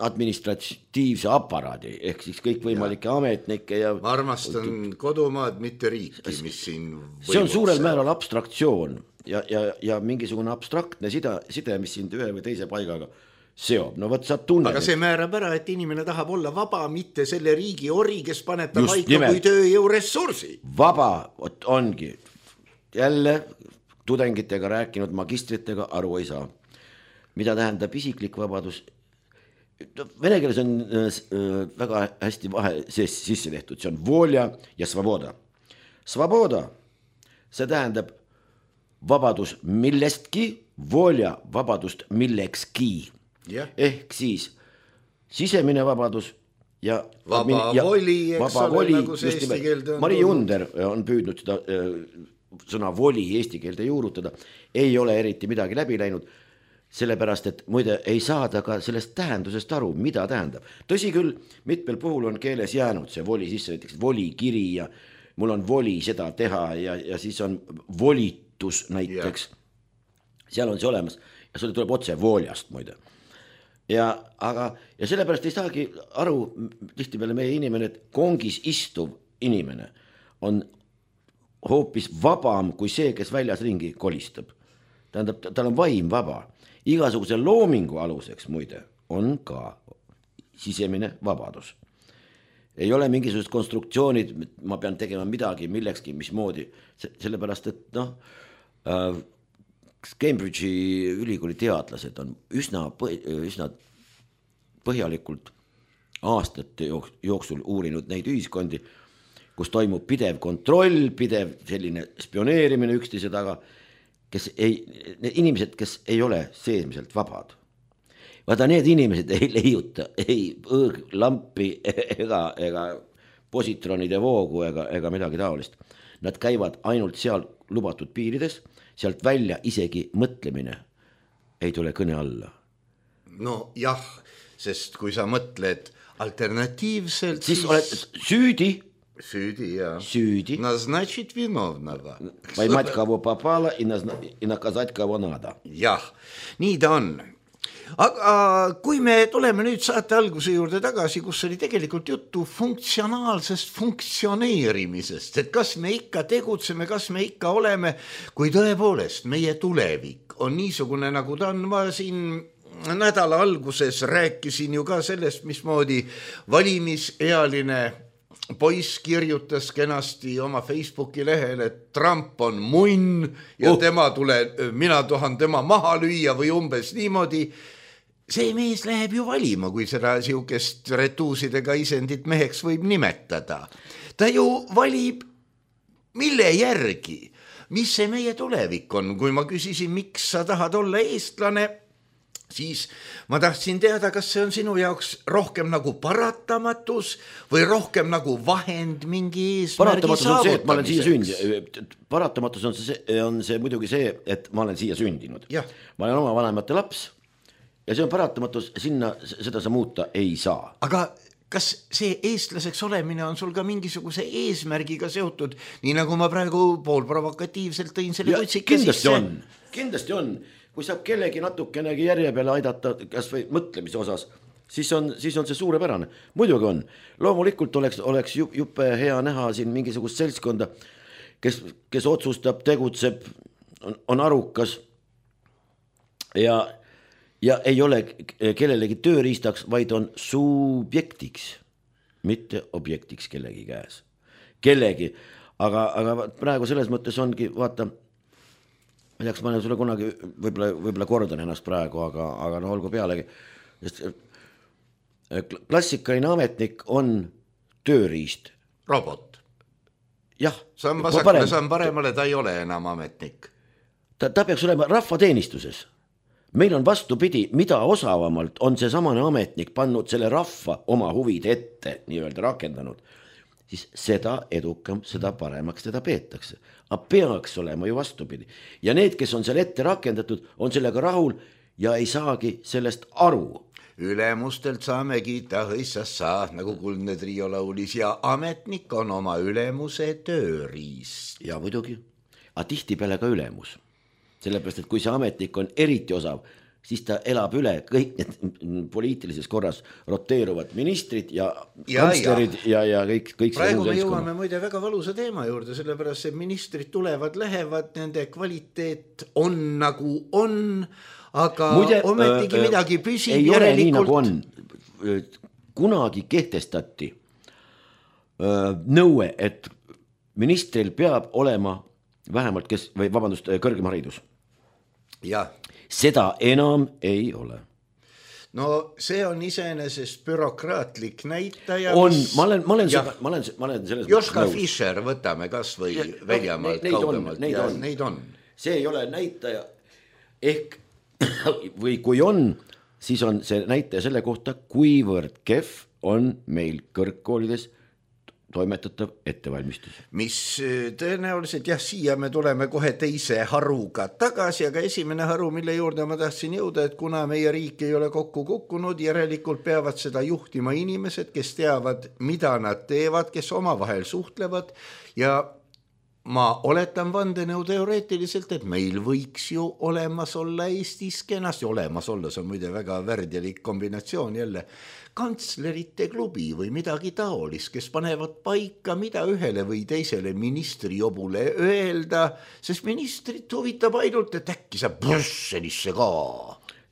administratiivse aparaadi, ehk siis kõik võimalike ametnike ja... Ma armastan kodumaad, mitte riiki, mis siin võimutseb. See on suurel määral abstraktsioon ja mingisugune abstraktne side, mis sind ühe või teise paigaga seob. No võt, sa tunned. Aga see määrab ära, et inimene tahab olla vaba, mitte selle riigi ori, kes paneb ta paika kui tööjõu ressursi. Vaba ongi. Jälle tudengitega rääkinud, magistritega aru ei saa. Mida tähendab isiklik vabadus? Vene keeles on väga hästi vahe sisse tehtud. See on volja ja svoboda. Svoboda, see tähendab vabadus millestki, volja vabadust millekski. Ehk siis sisemine vabadus ja vaba voli, eks ole, nagu see eesti keelde on. Mari Junder on püüdnud seda sõna voli eesti keelde juurutada. Ei ole eriti midagi läbi läinud. Sellepärast, et muide ei saada ka sellest tähendusest aru, mida tähendab. Tõsi küll, mitmel puhul on keeles jäänud see voli sisse, näiteks volikiri ja mul on voli seda teha ja siis on volitus näiteks. Seal on see olemas ja see tuleb otse voljast muide. Ja sellepärast ei saagi aru tihtipeale meie inimene, et kongis istuv inimene on hoopis vabam kui see, kes väljas ringi kolistab. tähendab, tal on vaim vaba. Igasuguse loomingu aluseks muide on ka sisemine vabadus. Ei ole mingisugused konstruktsioonid, ma pean tegema midagi millekski, mismoodi, sellepärast, et Cambridge'i ülikooli teadlased on üsna põhjalikult aastate jooksul uurinud neid ühiskondi, kus toimub pidev kontroll, pidev selline spioneerimine üksteise taga, need inimesed, kes ei ole seesmiselt vabad. Vaata, need inimesed ei leiuta ei õõglampi ega positronide voogu ega midagi taolist. Nad käivad ainult seal lubatud piirides, sealt välja isegi mõtlemine ei tule kõne alla. No jah, sest kui sa mõtled alternatiivselt, siis oled süüdi. Süüdi, jah. Süüdi. Назначить виновного. Поймать кого попало и наказать кого надо. Jah, nii ta on. Aga kui me tuleme nüüd saate alguse juurde tagasi, kus oli tegelikult juttu funktsionaalsest funktsioneerimisest, et kas me ikka tegutseme, kas me ikka oleme, kui tõepoolest meie tulevik on niisugune, nagu ta on. Ma siin nädala alguses rääkisin ju ka sellest, mismoodi valimisealine poiss kirjutas kenasti oma Facebooki lehel, et Trump on munn ja mina tahan tema maha lüüa või umbes niimoodi. See mees läheb ju valima, kui seda siukest retuusidega isendit meheks võib nimetada. Ta ju valib mille järgi, mis see meie tulevik on. Kui ma küsisin, miks sa tahad olla eestlane, siis ma tahtsin teada, kas see on sinu jaoks rohkem nagu paratamatus või rohkem nagu vahend mingi eesmärgi saavutamiseks. Paratamatus on see muidugi see, et ma olen siia sündinud. Ja. Ma olen oma vanemate laps ja see on paratamatus, seda sa muuta ei saa. Aga kas see eestlaseks olemine on sul ka mingisuguse eesmärgiga seotud, nii nagu ma praegu poolprovokatiivselt tõin selle kutsike sisse? Kindlasti on. Kui saab kellegi natukenegi järje peale aidata, kas või mõtlemise osas, siis on see suurepärane. Muidugi on. Loomulikult oleks juppe hea näha siin mingisugust seltskonda, kes otsustab, tegutseb, on arukas ja ei ole kellelegi tööriistaks, vaid on subjektiks, mitte objektiks kellegi käes. Kellegi. Aga praegu selles mõttes ongi, vaata, ma teaks, ma olen sulle kunagi, võib-olla kordan ennast praegu, aga no olgu pealegi. Klassikaline ametnik on tööriist. Robot. Jah. See on vasakule, see on paremale, ta ei ole enam ametnik. Ta peaks olema rahvateenistuses. Meil on vastupidi, mida osavamalt on see samane ametnik pannud selle rahva oma huvid ette, nii-öelda rakendanud, siis seda edukam, seda paremaks teda peetakse. Aga peaks olema ju vastupidi. Ja need, kes on seal ette rakendatud, on sellega rahul ja ei saagi sellest aru. Ülemustelt saame kiita hõissassa, nagu Kuldne Trio laulis, ja ametnik on oma ülemuse tööriist. Ja muidugi, aga tihtipeale ka ülemus. Sellepärast, et kui see ametnik on eriti osav, siis ta elab üle kõik need poliitilises korras roteeruvad ministrid ja kantslerid ja kõik praegu me jõuame muide väga valusa teema juurde, sellepärast, et ministrid tulevad, lähevad, nende kvaliteet on nagu on, aga muide, ometigi midagi püsib. Ei ole nii nagu on. Kunagi kehtestati nõue, et ministril peab olema vähemalt kõrgem haridus. Ja. Seda enam ei ole. No see on iseenesest bürokraatlik näitaja. On, ma olen selles Joška Fischer võtame kas või väljamaalt kaugemalt. Neid on. See ei ole näitaja ehk või kui on, siis on see näitaja selle kohta, kuivõrd kehv on meil kõrgkoolides toimetatav ettevalmistus. Mis tõenäoliselt, siia me tuleme kohe teise haruga tagasi, aga esimene haru, mille juurde ma tahtsin jõuda, et kuna meie riik ei ole kokku kukkunud, järelikult peavad seda juhtima inimesed, kes teavad, mida nad teevad, kes omavahel suhtlevad ja ma oletan vandenõuteoreetiliselt, et meil võiks ju olemas olla Eestis kenasti, olemas olla, see on muide väga värdjalik kombinatsioon jälle, kantslerite klubi või midagi taolist, kes panevad paika, mida ühele või teisele ministrijobule öelda, sest ministrit huvitab ainult, et äkki saab Brüsselisse ka.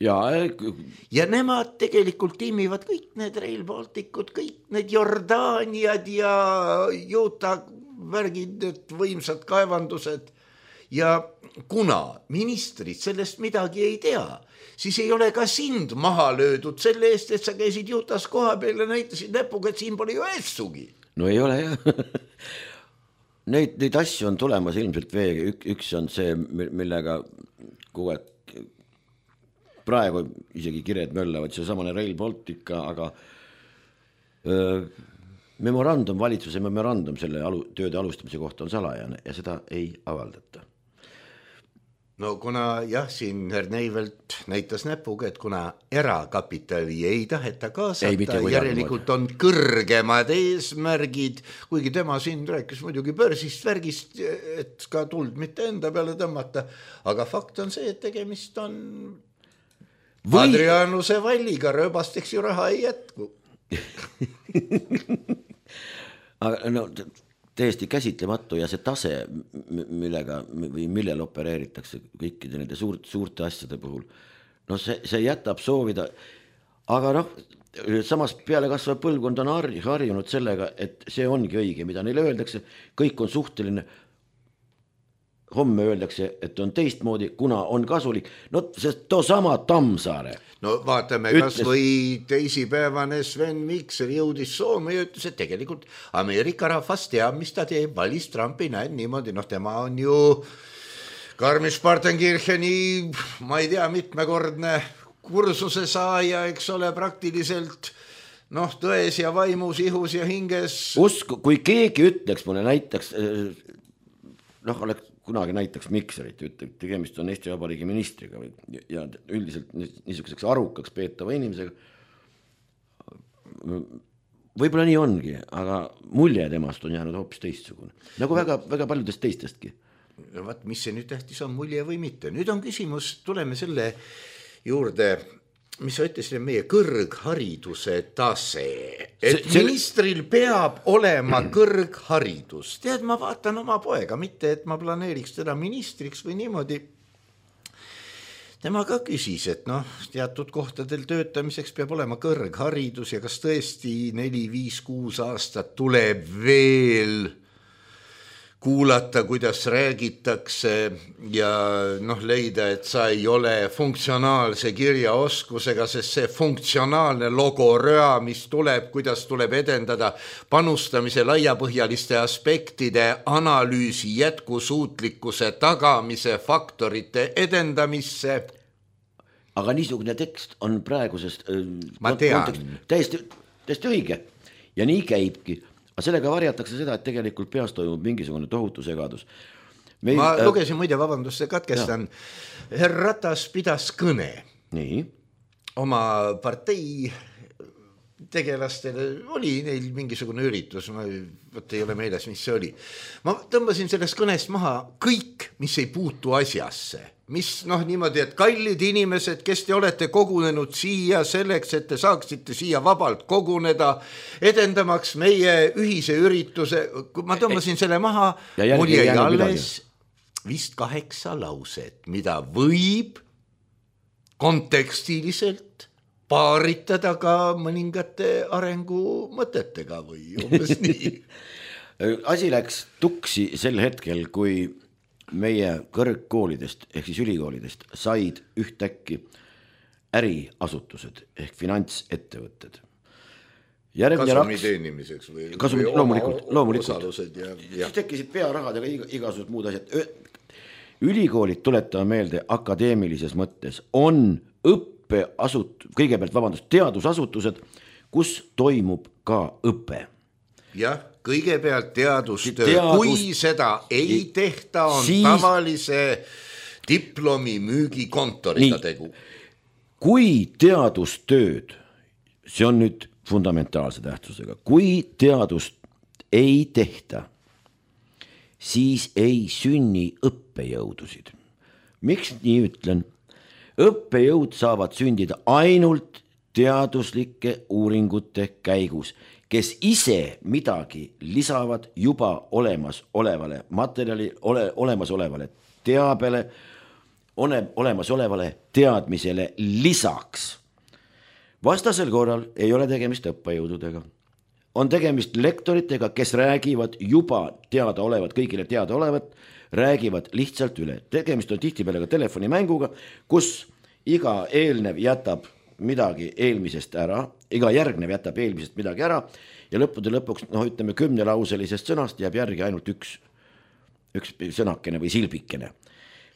Ja nemad tegelikult tiimivad kõik need Rail Balticud, kõik need Jordaaniad ja Juuta värgid, need võimsad kaevandused. Ja kuna ministrid sellest midagi ei tea, siis ei ole ka sind maha löödud selle eest, et sa käisid Jutas koha peal ja näitasid näpuga, et siin pole ju eessugi. No ei ole jah. Neid asju on tulemas ilmselt veega. Üks on see, millega kogu aeg praegu isegi kired möllavad, see samane Rail Baltica, aga memorandum, valitsuse memorandum selle tööde alustamise kohta on salajane ja seda ei avaldata. No kuna jah, siin Herr Neivelt näitas näpuga, et kuna erakapitali ei taheta kaasata, järelikult on kõrgemad eesmärgid, kuigi tema siin rääkis muidugi börsist värgist, et ka tuld mitte enda peale tõmmata, aga fakt on see, et tegemist on Adrianuse valliga, rööbasteks ju raha ei jätku. Aga no täiesti käsitlematu ja see tase, millega või millel opereeritakse kõikide nende suurte asjade puhul, no see jätab soovida, aga noh, samas peale kasvav põlvkond on harjunud sellega, et see ongi õige, mida neile öeldakse, kõik on suhteline, homme öeldakse, et on teistmoodi, kuna on kasulik, no sest too sama Tammsaare. No vaatame, kas või teisipäevane Sven Mikser jõudis Soome ja ütles, et tegelikult Ameerika rahvas teab, mis ta teeb, valis Trumpi, näen niimoodi, noh tema on ju Garmisch-Partenkircheni, ma ei tea, mitmekordne kursuse saaja, eks ole, praktiliselt noh, tões ja vaimus, ihus ja hinges. Usku, kui keegi ütleks mulle näiteks, noh, oleks kunagi näitaks Mikserit, tegemist on Eesti Vabariigi ministriga ja üldiselt niisuguseks arukaks peetava inimesega. Võib-olla nii ongi, aga mulje temast on jäänud hoopis teistsugune. Nagu väga, väga paljudest teistestki. Vaat, mis see nüüd tähtis on, mulje või mitte. Nüüd on küsimus, tuleme selle juurde, mis sa ütlesid, meie kõrghariduse tase. Et ministril peab olema kõrgharidus. Tead, ma vaatan oma poega, mitte et ma planeeriks teda ministriks või niimoodi. Tema ka küsis, et noh, teatud kohtadel töötamiseks peab olema kõrgharidus ja kas tõesti 4, 5, 6 aastat tuleb veel kuulata, kuidas räägitakse ja noh, leida, et sa ei ole funktsionaalse kirjaoskusega, sest see funktsionaalne logoröa, mis tuleb, kuidas tuleb edendada panustamise laiapõhjaliste aspektide analüüsi jätkusuutlikkuse tagamise faktorite edendamisse. Aga niisugune tekst on praegusest täiesti õige ja nii käibki. Aga sellega varjatakse seda, et tegelikult peas toimub mingisugune tohutu segadus. Ma lugesin muide, vabandust, see katkestan. Herr Ratas pidas kõne. Nii. Oma partei tegelastele oli neil mingisugune üritus, ma ei ole meeles, mis see oli. Ma tõmbasin sellest kõnest maha kõik, mis ei puutu asjasse. Mis noh niimoodi, et kallid inimesed, kes te olete kogunenud siia selleks, et te saaksite siia vabalt koguneda, edendamaks meie ühise ürituse, ma tõmbasin selle maha, mul jäi alles vist 8 lauset, mida võib kontekstiliselt paaritada ka mõningate arengumõtetega või umbes nii. Asi läks tuksi sel hetkel, kui meie kõrgkoolidest ehk siis ülikoolidest said ühtäkki äriasutused ehk finantsettevõtted. Kasumi teenimiseks või loomulikult. Osalused ja. Tekkisid pearahadega igasugused muud asjad. Ülikoolid, tuletame meelde, akadeemilises mõttes on teadusasutused, kus toimub ka õpe. Jah, kõigepealt teadustöö, kui seda ei tehta, on tavalise diplomi müügikontoriga tegu. Kui teadustööd, see on nüüd fundamentaalse tähtsusega, kui teadust ei tehta, siis ei sünni õppejõudusid. Miks nii ütlen? Õppejõud saavad sündida ainult teaduslike uuringute käigus, kes ise midagi lisavad juba olemasolevale materjali, olemasolevale teabele, olemasolevale teadmisele lisaks. Vastasel korral ei ole tegemist õppejõududega. On tegemist lektoritega, kes räägivad juba teadaolevat, kõigile teadaolevat, räägivad lihtsalt üle. Tegemist on tihtipeale ka telefonimänguga, kus iga eelnev jätab midagi eelmisest ära, iga järgnev jätab eelmisest midagi ära ja lõppude lõpuks, ütleme 10-lauselisest sõnast jääb järgi ainult üks sõnakene või silbikene.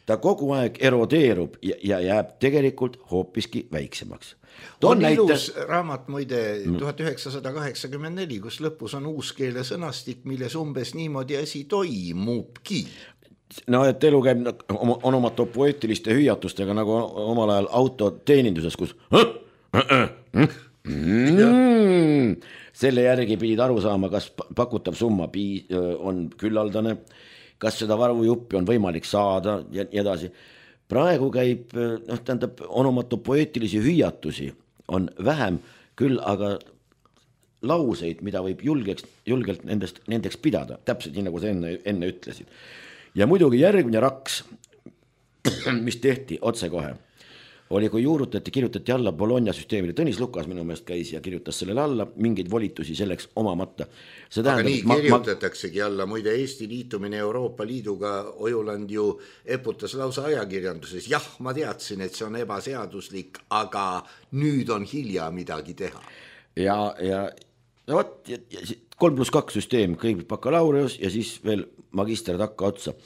Ta kogu aeg erodeerub ja jääb tegelikult hoopiski väiksemaks. On ilus raamat muide 1984, kus lõpus on uuskeele sõnastik, milles umbes niimoodi asi toimubki. No, et elu käib on oma poeetiliste hüüatustega nagu omal ajal autoteeninduses, kus selle järgi pidid aru saama, kas pakutav summa on küllaldane, kas seda varujuppi on võimalik saada ja edasi. Praegu käib, on oma poeetilisi hüüatusi, on vähem küll, aga lauseid, mida võib julgelt nendeks pidada, täpselt nii nagu sa enne ütlesid. Ja muidugi järgmine raks, mis tehti otsekohe, oli kui kirjutati alla Bologna süsteemile. Tõnis Lukas minu meelest käis ja kirjutas sellele alla, mingeid volitusi selleks omamata. Aga nii kirjutataksegi alla, muide Eesti liitumine Euroopa Liiduga Ojuland ju eputas lausa ajakirjanduses. Jah, ma teadsin, et see on ebaseaduslik, aga nüüd on hilja midagi teha. Ja 3+2 süsteem, kõigepealt bakalaureus ja siis veel magister takka otsa.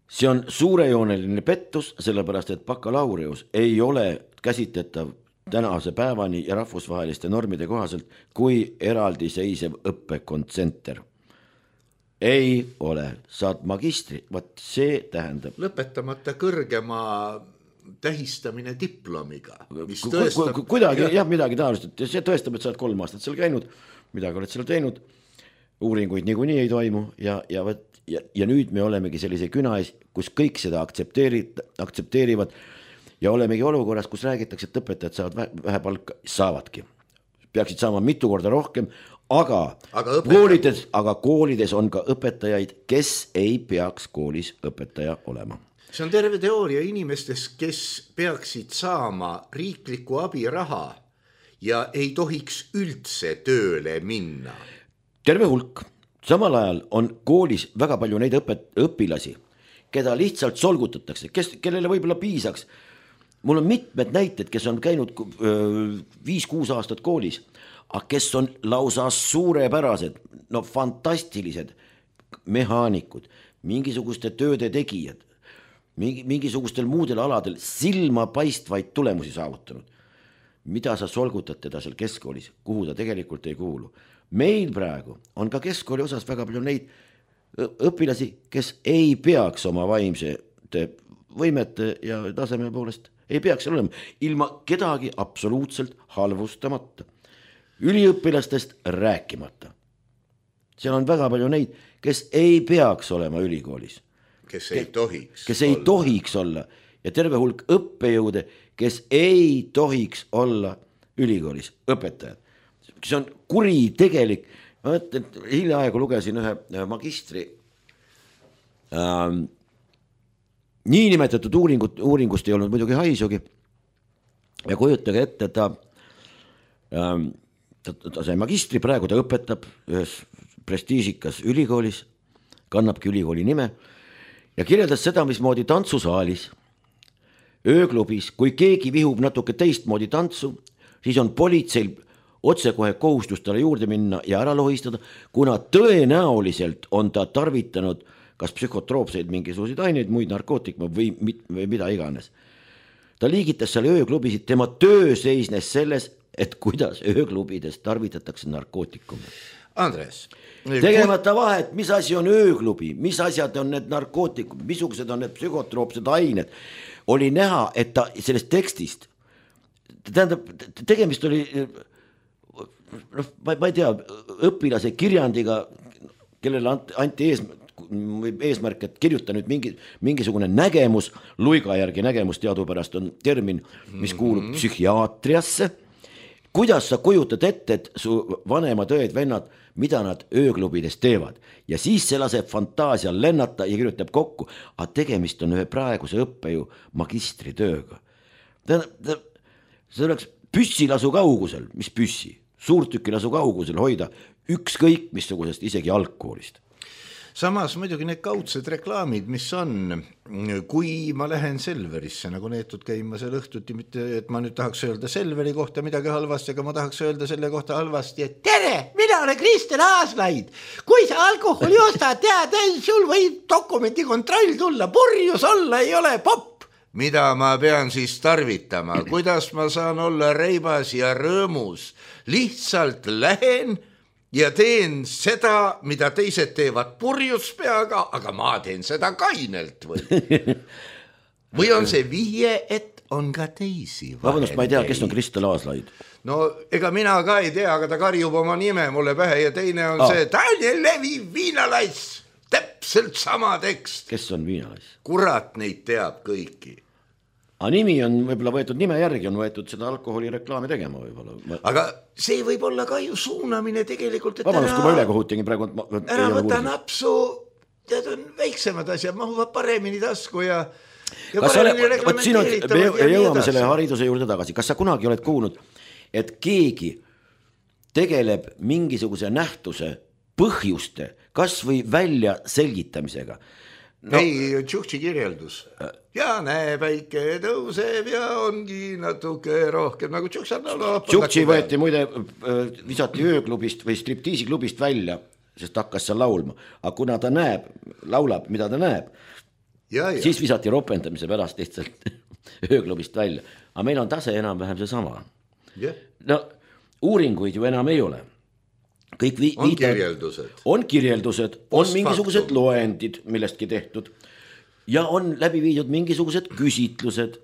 See on suurejooneline pettus, sellepärast et bakalaureus ei ole käsitletav tänase päevani ja rahvusvaheliste normide kohaselt kui eraldiseisev õppekontsenter. Ei ole, saad magistri, see tähendab lõpetamata kõrgema tähistamine diplomiga, mis tõestab kuidagi midagi taolist, et see tõestab, et sa oled 3 aastat seal käinud, midagi oled seal teinud, uuringuid niikuinii ei toimu ja nüüd me olemegi sellise küna ees, kus kõik seda aktsepteerivad ja olemegi olukorras, kus räägitakse, et õpetajad saavad vähe palka, saavadki. Peaksid saama mitu korda rohkem, aga koolides on ka õpetajaid, kes ei peaks koolis õpetaja olema. See on terve teooria inimestes, kes peaksid saama riikliku abiraha ja ei tohiks üldse tööle minna. Terve hulk. Samal ajal on koolis väga palju neid õpilasi, keda lihtsalt solgutatakse, kellele võib-olla piisaks. Mul on mitmed näited, kes on käinud 5-6 aastat koolis, aga kes on lausa suurepärased, fantastilised mehaanikud, mingisuguste tööde tegijad, mingisugustel muudel aladel silma paistvaid tulemusi saavutanud. Mida sa solgutad teda seal keskkoolis, kuhu ta tegelikult ei kuulu? Meil praegu on ka keskkooli osas väga palju neid õpilasi, kes ei peaks oma vaimsete võimete ja taseme poolest ei peaks olema, ilma kedagi absoluutselt halvustamata. Üliõpilastest rääkimata. Seal on väga palju neid, kes ei peaks olema ülikoolis. Kes ei tohiks olla. Ja terve hulk õppejõude, kes ei tohiks olla ülikoolis õpetajad. See on kuritegelik. Ma mõtlen, hiljaaegu lugesin ühe magistri niinimetatud uuringust ei olnud muidugi haisugi. Ja kujutage ette, ta sai magistri, praegu ta õpetab ühes prestiižikas ülikoolis, kannabki ülikooli nime ja kirjeldas seda, mismoodi tantsusaalis, ööklubis, kui keegi vihub natuke teistmoodi tantsu, siis on politseil otsekohe kohustus talle juurde minna ja ära lohistada, kuna tõenäoliselt on ta tarvitanud kas psühhotroopseid mingisuguseid aineid, muid narkootikume või mida iganes. Ta liigitas seal ööklubisid, tema töö seisnes selles, et kuidas ööklubides tarvitatakse narkootikume. Andres. Tegemata vahet, mis asi on ööklubi, mis asjad on need narkootikud, missugused on need psühhotroopsed ained. Oli näha, et ta sellest tekstist, tähendab, tegemist oli, ma ei tea, õpilase kirjandiga, kellele anti eesmärk, et kirjuta nüüd mingisugune nägemus, Luiga järgi nägemus teadupärast on termin, mis kuulub psühhiaatriasse. Kuidas sa kujutad ette, et su vanemad õed-vennad, mida nad ööklubides teevad ja siis see laseb fantaasial lennata ja kirjutab kokku, aga tegemist on ühe praeguse õppejõu magistritööga. See oleks püssilasu kaugusel, mis püssi, suurtükilasu kaugusel hoida ükskõik missugusest, isegi algkoolist. Samas muidugi need kaudsed reklaamid, mis on, kui ma lähen Selverisse nagu neetud käima seal õhtuti, mitte et ma nüüd tahaks öelda Selveri kohta midagi halvasti, aga ma tahaks öelda selle kohta halvasti, et tere, mina olen Kristel Aaslaid. Kui sa alkoholi ostad, tead, sul võib dokumenti kontroll tulla, purjus olla ei ole popp. Mida ma pean siis tarvitama, kuidas ma saan olla reibas ja rõõmus, lihtsalt lähen ja teen seda, mida teised teevad purjus peaga, aga ma teen seda kainelt või on see vihje, et on ka teisi vahendeid. Vabandust, ma ei tea, kes on Kristel Aaslaid? No ega mina ka ei tea, aga ta karjub oma nime mulle pähe ja teine on see Daniel Levi Viinalass, täpselt sama tekst. Kes on Viinalass? Kurat neid teab kõiki. Aga nimi on võib-olla võetud nime järgi, on võetud seda alkoholireklaami tegema võib-olla. Aga see võib olla ka ju suunamine tegelikult, et vabandust, kui ma ülekohut tegin praegu. Ära võta napsu, tead on väiksemad asjad, mahuvad paremini tasku ja paremini reglementeeritavad. Jõuame selle hariduse juurde tagasi. Kas sa kunagi oled kuulnud, et keegi tegeleb mingisuguse nähtuse põhjuste kas või välja selgitamisega? No, ei, Tšuhtši kirjeldus. Ja näe, päike tõuseb ja ongi natuke rohkem nagu Tšuhtši võeti muide, visati ööklubist või striptiisiklubist välja, sest hakkas seal laulma. Aga kuna ta näeb, laulab, mida ta näeb, siis visati ropendamise pärast lihtsalt ööklubist välja. Aga meil on tase enam-vähem see sama. No, uuringuid ju enam ei ole. On kirjeldused. On kirjeldused, on mingisugused loendid millestki tehtud ja on läbi viidud mingisugused küsitlused,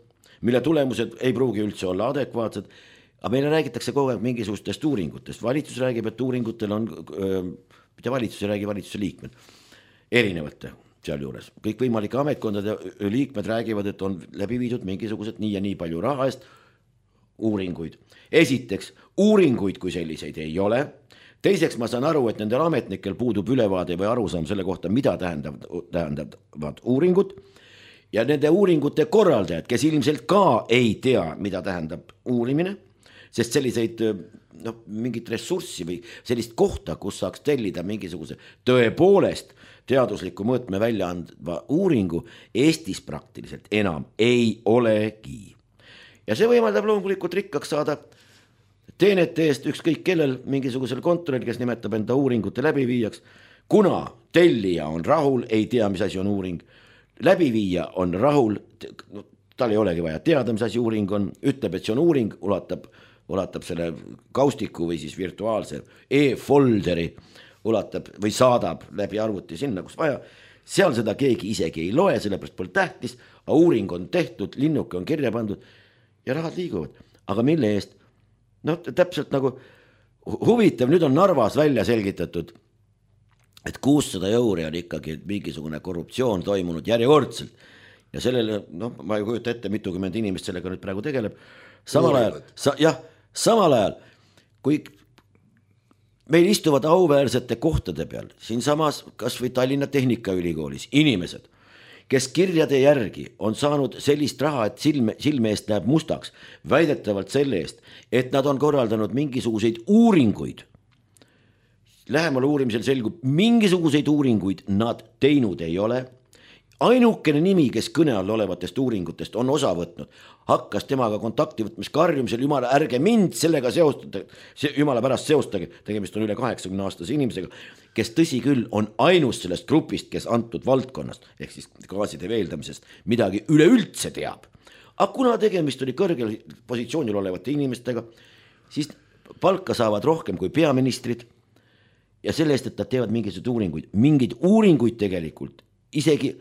mille tulemused ei pruugi üldse olla adekvaatsed, aga meile räägitakse kogu aeg mingisugustest uuringutest. Valitsus räägib, et uuringutel on, mitte valitsus ei räägi, valitsuse liikmed, erinevate seal juures. Kõik võimalike ametkondade liikmed räägivad, et on läbi viidud mingisugused nii ja nii palju raha eest uuringuid. Esiteks, uuringuid kui selliseid ei ole. Teiseks ma saan aru, et nendel ametnikel puudub ülevaade või arusaam selle kohta, mida tähendavad uuringud ja nende uuringute korraldajad, kes ilmselt ka ei tea, mida tähendab uurimine, sest selliseid mingit ressurssi või sellist kohta, kus saaks tellida mingisuguse tõepoolest teadusliku mõõtme välja andva uuringu Eestis praktiliselt enam ei olegi. Ja see võimaldab loomulikult rikkaks saada teenete eest ükskõik kellel mingisugusel kontoril, kes nimetab enda uuringute läbiviijaks, kuna tellija on rahul, ei tea, mis asi on uuring, läbiviija on rahul, tal ei olegi vaja teada, mis asi uuring on, ütleb, et see on uuring, ulatab selle kaustiku või siis virtuaalse e-folderi, ulatab või saadab läbi arvuti sinna, kus vaja, seal seda keegi isegi ei loe, sellepärast pole tähtis, aga uuring on tehtud, linnuke on kirja pandud ja rahad liiguvad, aga mille eest? Täpselt nagu huvitav, nüüd on Narvas välja selgitatud, et 600 € on ikkagi mingisugune korruptsioon toimunud järjekordselt ja sellele, ma ei kujuta ette, mitukümmend inimest sellega nüüd praegu tegeleb. Samal ajal, kui meil istuvad auväärsete kohtade peal, siin samas kas või Tallinna Tehnikaülikoolis inimesed, kes kirjade järgi on saanud sellist raha, et silme eest näeb mustaks, väidetavalt selle eest, et nad on korraldanud mingisuguseid uuringuid. Lähemal uurimisel selgub, mingisuguseid uuringuid nad teinud ei ole. Ainukene nimi, kes kõne all olevatest uuringutest on osa võtnud, hakkas temaga kontakti võtmas karjumisel, jumala, ärge mind sellega seostada, jumala pärast seostage, tegemist on üle 80-aastase inimesega, kes tõsi küll on ainus sellest grupist, kes antud valdkonnast, ehk siis gaaside veeldamisest, midagi üleüldse teab. Aga kuna tegemist oli kõrgel positsioonil olevate inimestega, siis palka saavad rohkem kui peaministrid ja selle eest, et nad teevad mingeid uuringuid tegelikult isegi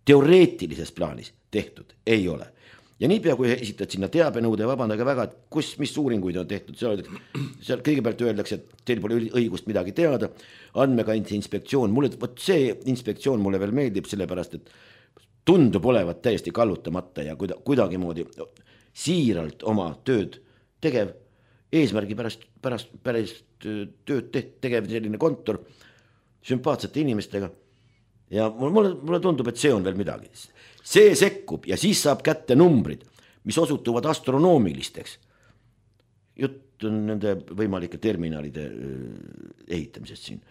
teoreetilises plaanis tehtud ei ole. ja niipea, kui esitad sinna teabenõude, vabandage väga, et mis uuringuid on tehtud, seal kõigepealt öeldakse, et teil pole õigust midagi teada, andmekaitse inspektsioon, võt see inspektsioon mulle veel meeldib, sellepärast, et tundub olevat täiesti kallutamata ja kuidagimoodi siiralt oma tööd tegev, eesmärgi pärast tööd tegev selline kontor, sümpaatsete inimestega ja mulle tundub, et see on veel midagi. See sekkub ja siis saab kätte numbrid, mis osutuvad astronoomilisteks. Jutt on nende võimalike terminalide ehitamisest siin.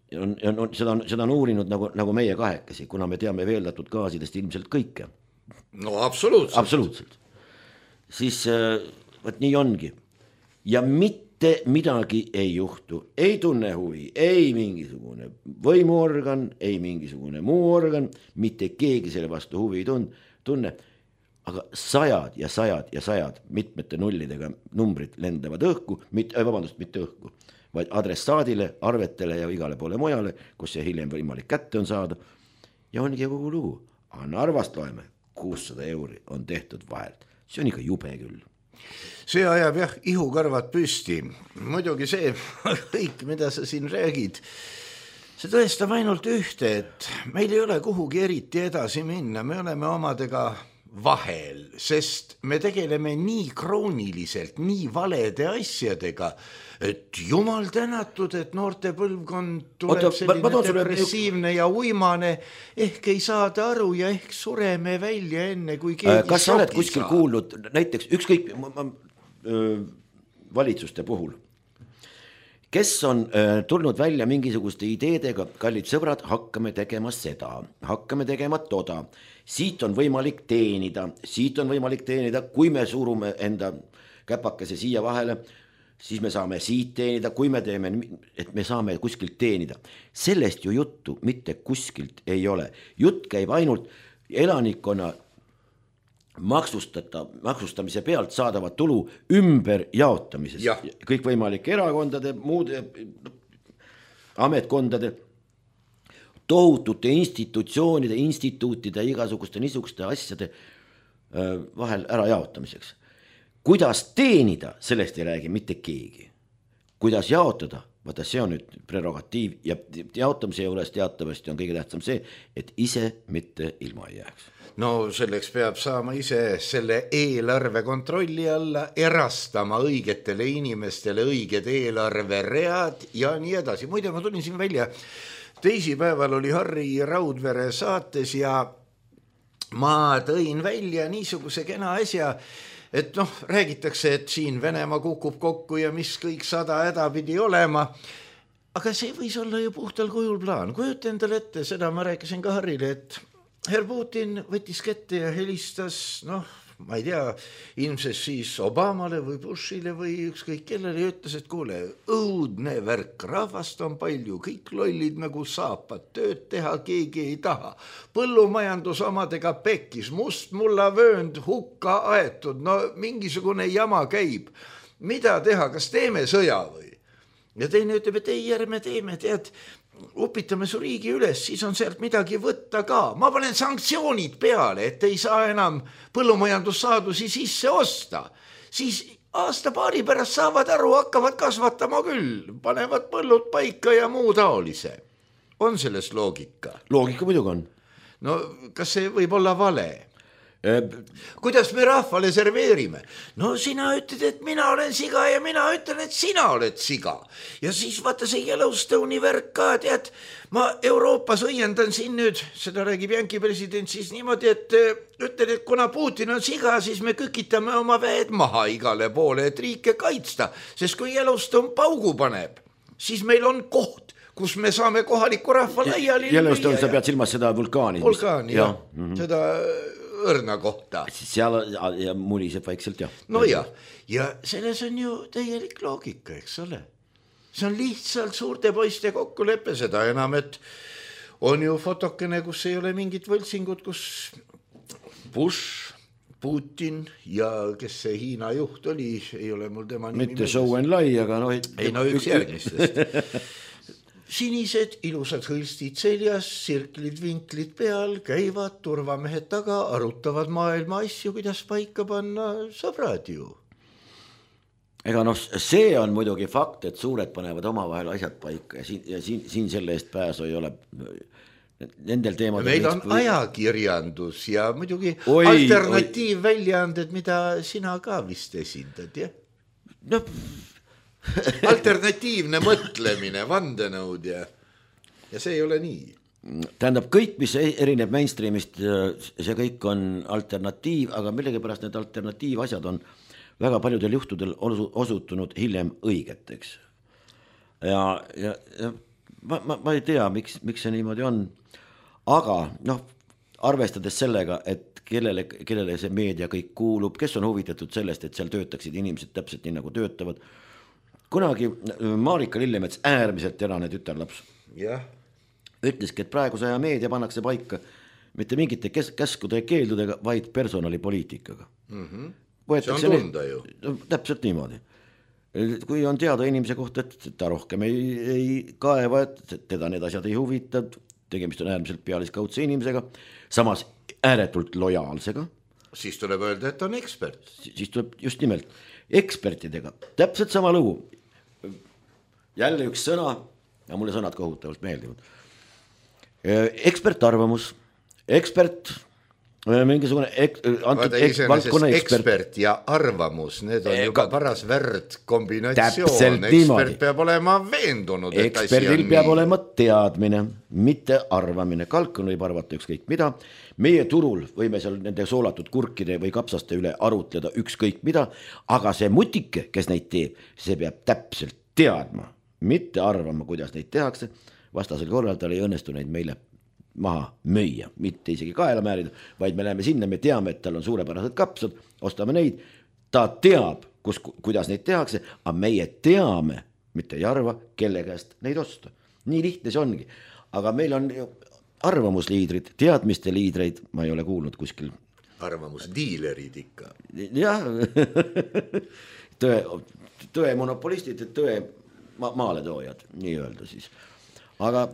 Seda on uurinud nagu meie kahekesi, kuna me teame veeldatud gaasidest ilmselt kõike. No absoluutselt. Siis võt nii ongi. Ja mitte midagi ei juhtu, ei tunne huvi, ei mingisugune võimuorgan, ei mingisugune muu organ, mitte keegi selle vastu huvi ei tunne, aga sajad ja sajad mitmete nullidega numbrid lendavad õhku, mitte õhku, vaid adressaadile, arvetele ja igale poole mujale, kus see hiljem võimalik kätte on saada. Ja ongi kogu lugu, aga Narvast loeme, 600 € on tehtud vahelt, see on ikka jube küll. See ajab jah ihukarvad püsti, muidugi see kõik, mida sa siin räägid, see tõestab ainult ühte, et meil ei ole kuhugi eriti edasi minna, me oleme omadega vahel, sest me tegeleme nii krooniliselt, nii valede asjadega, et jumal tänatud, et noorte põlvkond tuleb selline depressiivne ja uimane, ehk ei saada aru ja ehk sureme välja enne, kui keegi kas sa oled kuskil kuulnud, näiteks ükskõik valitsuste puhul, kes on tulnud välja mingisuguste ideedega, kallid sõbrad, hakkame tegema seda, hakkame tegema toda, siit on võimalik teenida, kui me surume enda käpakese siia vahele, siis me saame siit teenida, kui me teeme, et me saame kuskilt teenida. Sellest ju juttu mitte kuskilt ei ole. Jutt käib ainult elanikkonna maksustamise pealt saadava tulu ümber jaotamisest. Kõik võimalike erakondade, muude ametkondade, tohutute institutsioonide, instituutide, igasuguste niisuguste asjade vahel ära jaotamiseks. Kuidas teenida, sellest ei räägi mitte keegi. Kuidas jaotada, vaata see on nüüd prerogatiiv ja jaotamise juures teatavasti on kõige tähtsam see, et ise mitte ilma ei jääks. No selleks peab saama ise selle eelarve kontrolli alla, erastama õigetele inimestele õiged eelarveread ja nii edasi. Muide, ma tulin siin välja, teisipäeval oli Harri Raudvere saates ja ma tõin välja niisuguse kena asja, et räägitakse, et siin Venemaa kukub kokku ja mis kõik 100 häda pidi olema, aga see võis olla ju puhtal kujul plaan. Kujuta endale ette, seda ma rääkisin ka Harrile, et herr Putin võttis kätte ja helistas, ma ei tea, ilmselt siis Obamale või Bushile või ükskõik kellele ja ütles, et kuule, õudne värk, rahvast on palju, kõik lollid nagu saapad, tööd teha keegi ei taha. Põllumajandus omadega pekkis, mustmullavöönd hukka aetud, mingisugune jama käib. Mida teha, kas teeme sõja või? Ja teine ütleb, et ei, ärme teeme, tead, upitame su riigi üles, siis on sealt midagi võtta ka. Ma panen sanktsioonid peale, et ei saa enam põllumajandussaadusi sisse osta. Siis aasta-paari pärast saavad aru, hakkavad kasvatama küll, panevad põllud paika ja muu taolise. On selles loogika? Loogika muidugi on. No kas see võib olla vale? Kuidas me rahvale serveerime? No sina ütled, et mina olen siga ja mina ütlen, et sina oled siga. Ja siis vaata see Yellowstone'i värk ka, tead, ma Euroopas õiendan siin nüüd, seda räägib Jänki president siis niimoodi, et ütlen, et kuna Putin on siga, siis me kükitame oma väed maha igale poole, et riike kaitsta, sest kui Yellowstone paugu paneb, siis meil on koht, kus me saame kohaliku rahva laiali. Yellowstone, sa pead silmas seda vulkaani. Vulkaani, jah. Seda õrna kohta. Seal ja muliseb vaikselt, jah. No ja selles on ju täielik loogika, eks ole. See on lihtsalt suurte poiste kokkulepe, seda enam, et on ju fotokene, kus ei ole mingit võltsingut, kus Bush, Putin ja kes see Hiina juht oli, ei ole mul tema nimi. Mitte Zhou Enlai, aga ei, üks järgmistest. sinised ilusad hõlstid seljas, sirklid, vinklid peal, käivad turvamehed taga, arutavad maailma asju, kuidas paika panna, sõbrad ju. Ega see on muidugi fakt, et suured panevad omavahel asjad paika ja siin selle eest pääsu ei ole. Nendel teemadel meil on ajakirjandus ja muidugi alternatiivväljaanded, mida sina ka vist esindad, jah? No. Alternatiivne mõtlemine, vandenõud ja see ei ole nii. Tähendab, kõik, mis erineb mainstreamist, see kõik on alternatiiv, aga millegipärast need alternatiivasjad on väga paljudel juhtudel osutunud hiljem õigeteks. Ja ma ei tea, miks see niimoodi on, aga arvestades sellega, et kellele see meedia kõik kuulub, kes on huvitatud sellest, et seal töötaksid inimesed täpselt nii nagu töötavad. Kunagi Marika Lillemets, äärmiselt terane tütarlaps, ütleski, et praeguse aja meedia pannakse paika mitte mingite käskude ja keeldudega, vaid personalipoliitikaga. See on tunda ju. Täpselt niimoodi. Kui on teada inimese kohta, et ta rohkem ei kaeva, et teda need asjad ei huvita, tegemist on äärmiselt pealiskaudse inimesega, samas ääretult lojaalsega. Siis tuleb öelda, et on ekspert. Siis tuleb just nimelt ekspertidega. Täpselt sama lugu. Jälle üks sõna, ja mulle sõnad kohutavalt meeldivad. Ekspertarvamus, ekspert, mingisugune valdkonna ekspert ja arvamus, need on juba paras värd kombinatsioon. Ekspert peab olema veendunud, et asi on nii. Eksperdil peab olema teadmine, mitte arvamine. Kalkun võib arvata ükskõik mida. Meie turul võime seal nende soolatud kurkide või kapsaste üle arutleda ükskõik mida, aga see mutike, kes neid teeb, see peab täpselt teadma, mitte arvama, kuidas neid tehakse. Vastasel korral tal ei õnnestu neid meile maha müüa, mitte isegi kaela määrida, vaid me läheme sinna, me teame, et tal on suurepärased kapsad, ostame neid, ta teab, kuidas neid tehakse, aga meie teame, mitte ei arva, kelle käest neid osta. Nii lihtne see ongi, aga meil on arvamusliidrid, teadmiste liidreid, ma ei ole kuulnud kuskil. Arvamusdiilerid ikka. Jah, tõe monopolistid, tõe maaletoojad, nii öelda siis. Aga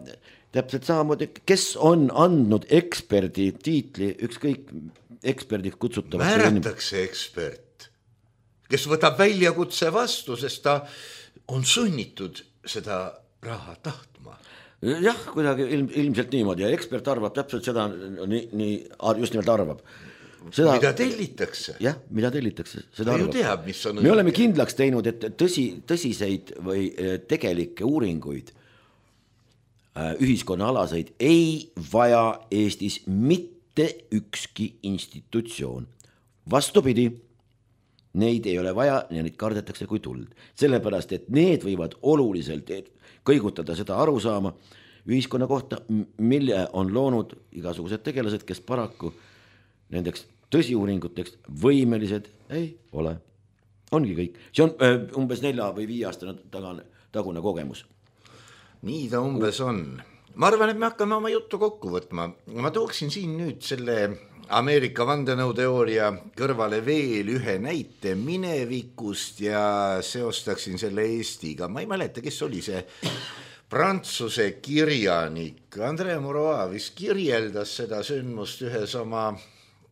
täpselt samamoodi, kes on andnud eksperdi tiitli, ükskõik eksperdiks kutsutavad. Määratakse ekspert, kes võtab väljakutse vastu, sest ta on sunnitud seda raha tahtma. Jah, kuidagi ilmselt niimoodi ja ekspert arvab täpselt seda, just nimelt arvab. Mida tellitakse. Jah, mida tellitakse. Ta ju teab, mis on. Me oleme kindlaks teinud, et tõsiseid või tegelikke uuringuid ühiskonnaalaseid ei vaja Eestis mitte ükski institutsioon. Vastupidi, neid ei ole vaja ja neid kardetakse kui tuld. Sellepärast, et need võivad oluliselt kõigutada seda arusaama ühiskonna kohta, mille on loonud igasugused tegelased, kes paraku nendeks tõsiuuringuteks võimelised ei ole. Ongi kõik. See on umbes 4 või 5 aastane tagune kogemus. Nii ta umbes on. Ma arvan, et me hakkame oma juttu kokku võtma. Ma tooksin siin nüüd selle Ameerika vandenõuteooria kõrvale veel ühe näite minevikust ja seostaksin selle Eestiga. Ma ei mäleta, kes oli see prantsuse kirjanik. André Maurois vist kirjeldas seda sündmust ühes oma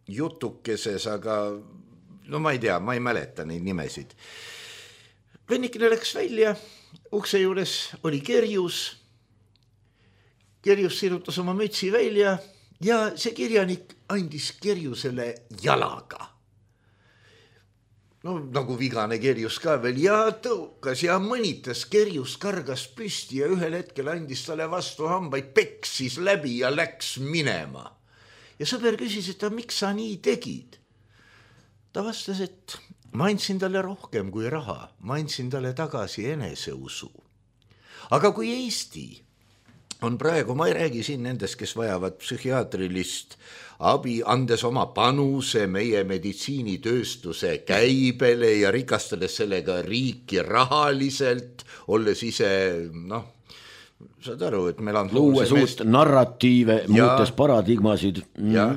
jutukeses, aga ma ei tea, ma ei mäleta neid nimesid. Vennikene läks välja. Ukse juures oli Kerjus sirutas oma mütsi välja ja see kirjanik andis Kerjusele jalaga. Nagu vigane Kerjus ka veel ja tõukas ja mõnitas, Kerjus kargas püsti ja ühel hetkel andis talle vastu hambaid, peksis läbi ja läks minema. Ja sõber küsis, et miks sa nii tegid? Ta vastas, et ma andsin talle rohkem kui raha, ma andsin talle tagasi eneseusu. Aga kui Eesti on praegu, ma ei räägi siin nendest, kes vajavad psühhiaatrilist abi, andes oma panuse meie meditsiinitööstuse käibele ja rikastades sellega riiki rahaliselt, olles ise, saad aru, et meil on luues uut narratiive, muutes paradigmasid. Ja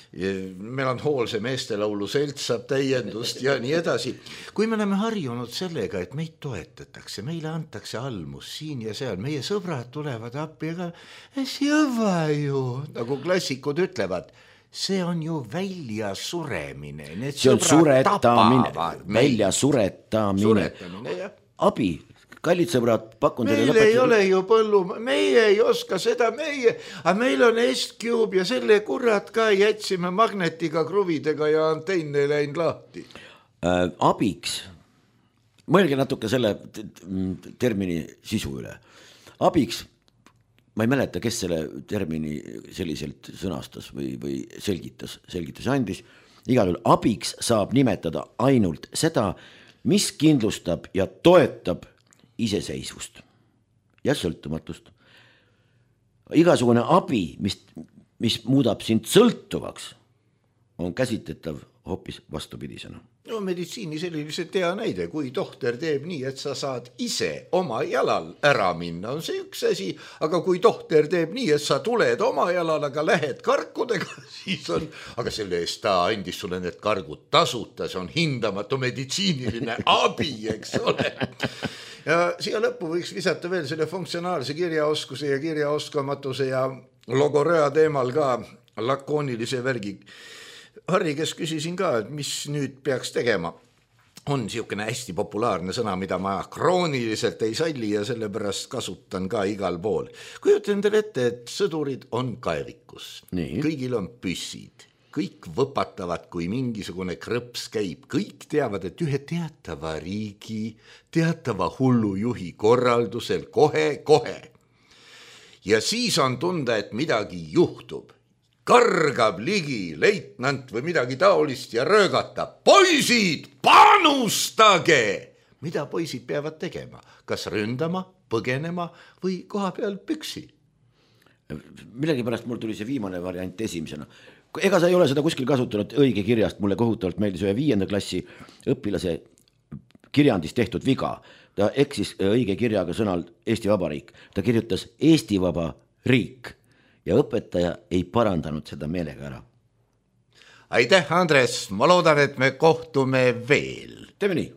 meil on hoolse meestelaulu selts saab täiendust ja nii edasi. Kui me oleme harjunud sellega, et meid toetatakse, meile antakse almus siin ja seal, meie sõbrad tulevad appi, ega jõva ju, nagu klassikud ütlevad, see on ju välja suremine. See on suretamine, välja suretamine. Abi. Kallid sõbrad, pakun teile meil ei ole ju põllu, meie ei oska seda, aga meil on S-Cube ja selle kurat ka jätsime magnetiga, kruvidega ja anteenne läinud lahti. Abiks, mõelge natuke selle termini sisu üle. Abiks, ma ei mäleta, kes selle termini selliselt sõnastas või selgitus andis. Igal juhul abiks saab nimetada ainult seda, mis kindlustab ja toetab iseseisvust ja sõltumatust. Igasugune abi, mis muudab sind sõltuvaks, on käsitletav hoopis vastupidisena. No meditsiini selliselt hea näide, kui tohter teeb nii, et sa saad ise oma jalal ära minna, on see üks asi, aga kui tohter teeb nii, et sa tuled oma jalal, aga lähed karkudega, siis on, aga selle eest ta andis sulle need kargud tasuta, see on hindamatu meditsiiniline abi, eks ole. Ja siia lõppu võiks visata veel selle funktsionaalse kirjaoskuse ja kirjaoskamatuse ja logoröa teemal ka lakoonilise värgi. Harri, kes küsisin ka, et mis nüüd peaks tegema, on niisugune hästi populaarne sõna, mida ma krooniliselt ei salli ja sellepärast kasutan ka igal pool. Kujutan teile ette, et sõdurid on kaevikus, kõigil on püssid. Kõik võpatavad, kui mingisugune krõps käib. Kõik teavad, et ühe teatava riigi, teatava hullujuhi korraldusel kohe. Ja siis on tunda, et midagi juhtub. Kargab ligi leitnant või midagi taolist ja röögata. Poisid, panustage! Mida poisid peavad tegema? Kas ründama, põgenema või koha peal püksi? Millegi pärast mul tuli see viimane variant esimesena. Ega sa ei ole seda kuskil kasutanud õige kirjast, mulle kohutavalt meeldis ühe 5. klassi õpilase kirjandis tehtud viga. Ta eksis õige kirjaga sõnal Eesti Vabariik. Ta kirjutas Eesti Vaba riik ja õpetaja ei parandanud seda meelega ära. Aitäh, Andres, ma loodan, et me kohtume veel. Teeme nii.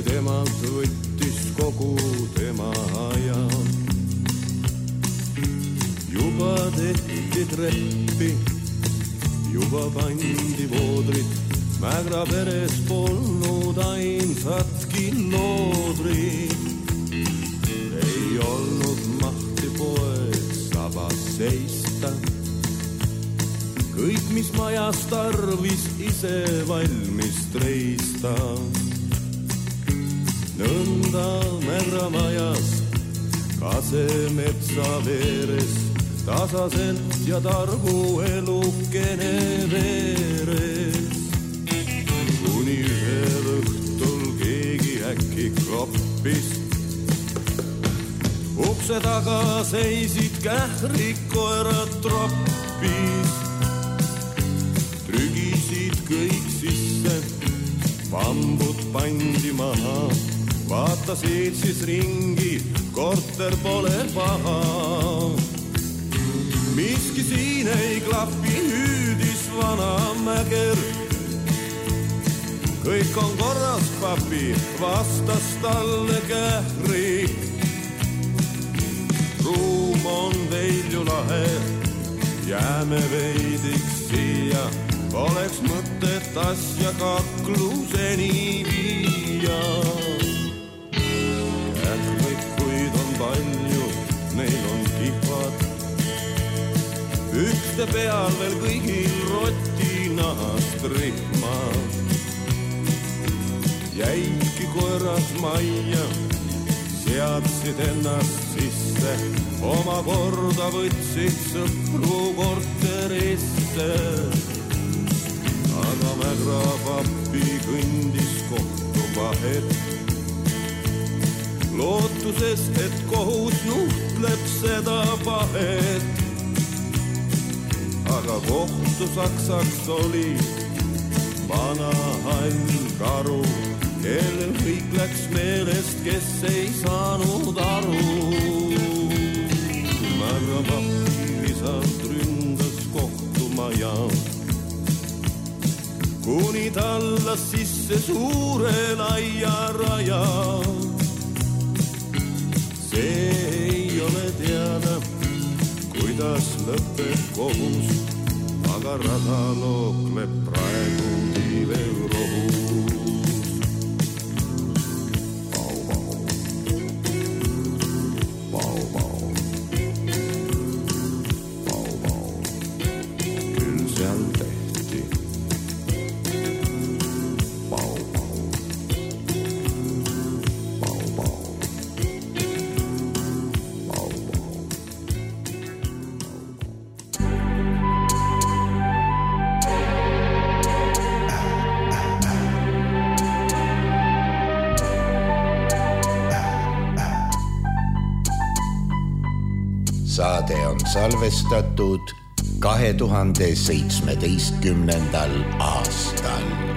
Temalt võttis kogu tema aja. Juba tehti treppi, juba pandi voodrit. Mägra peres polnud ainsatki loodrit. Ei olnud mahti poeg sabas seista. Kõik, mis majas tarvis, ise valmis treista. Nõnda Mägra majas, kasemetsa veeres, tasaselt ja targu elukene veeres. Kuni ühel õhtul keegi äkki kloppis, ukse taga seisid kährikoerad troppis. Trügisid kõik sisse, pambud pandi maha. Vaatasid siis ringi, korter pole paha. Miski siin ei klappi, hüüdis vana Mäger. Kõik on korras, papi, vastas talle Kähri. Ruum on veid ju lahe, jääme veidiks siia. Oleks mõtet asja kakluseni viia. Palju, neil on kihvad, ükste peal veel kõigil rotinahast rihmad. Jäidki koeras majja, seadsid ennast sisse, oma korda võtsid sõpru korterisse. Aga Mägra papi kõndis kohtu vahet, lootuses, et kohus nuhtleb seda pahet. aga kohtu saksaks oli vana hall karu, kellel kõik läks meelest, kes ei saanud aru. Aga papilisalt ründas kohtumaja, kuni tallas sisse suure laia raja. See ei ole teada, kuidas lõpeb kohus, aga rada lookleb praegu tiivel rohus. Saade on salvestatud 2017. aastal.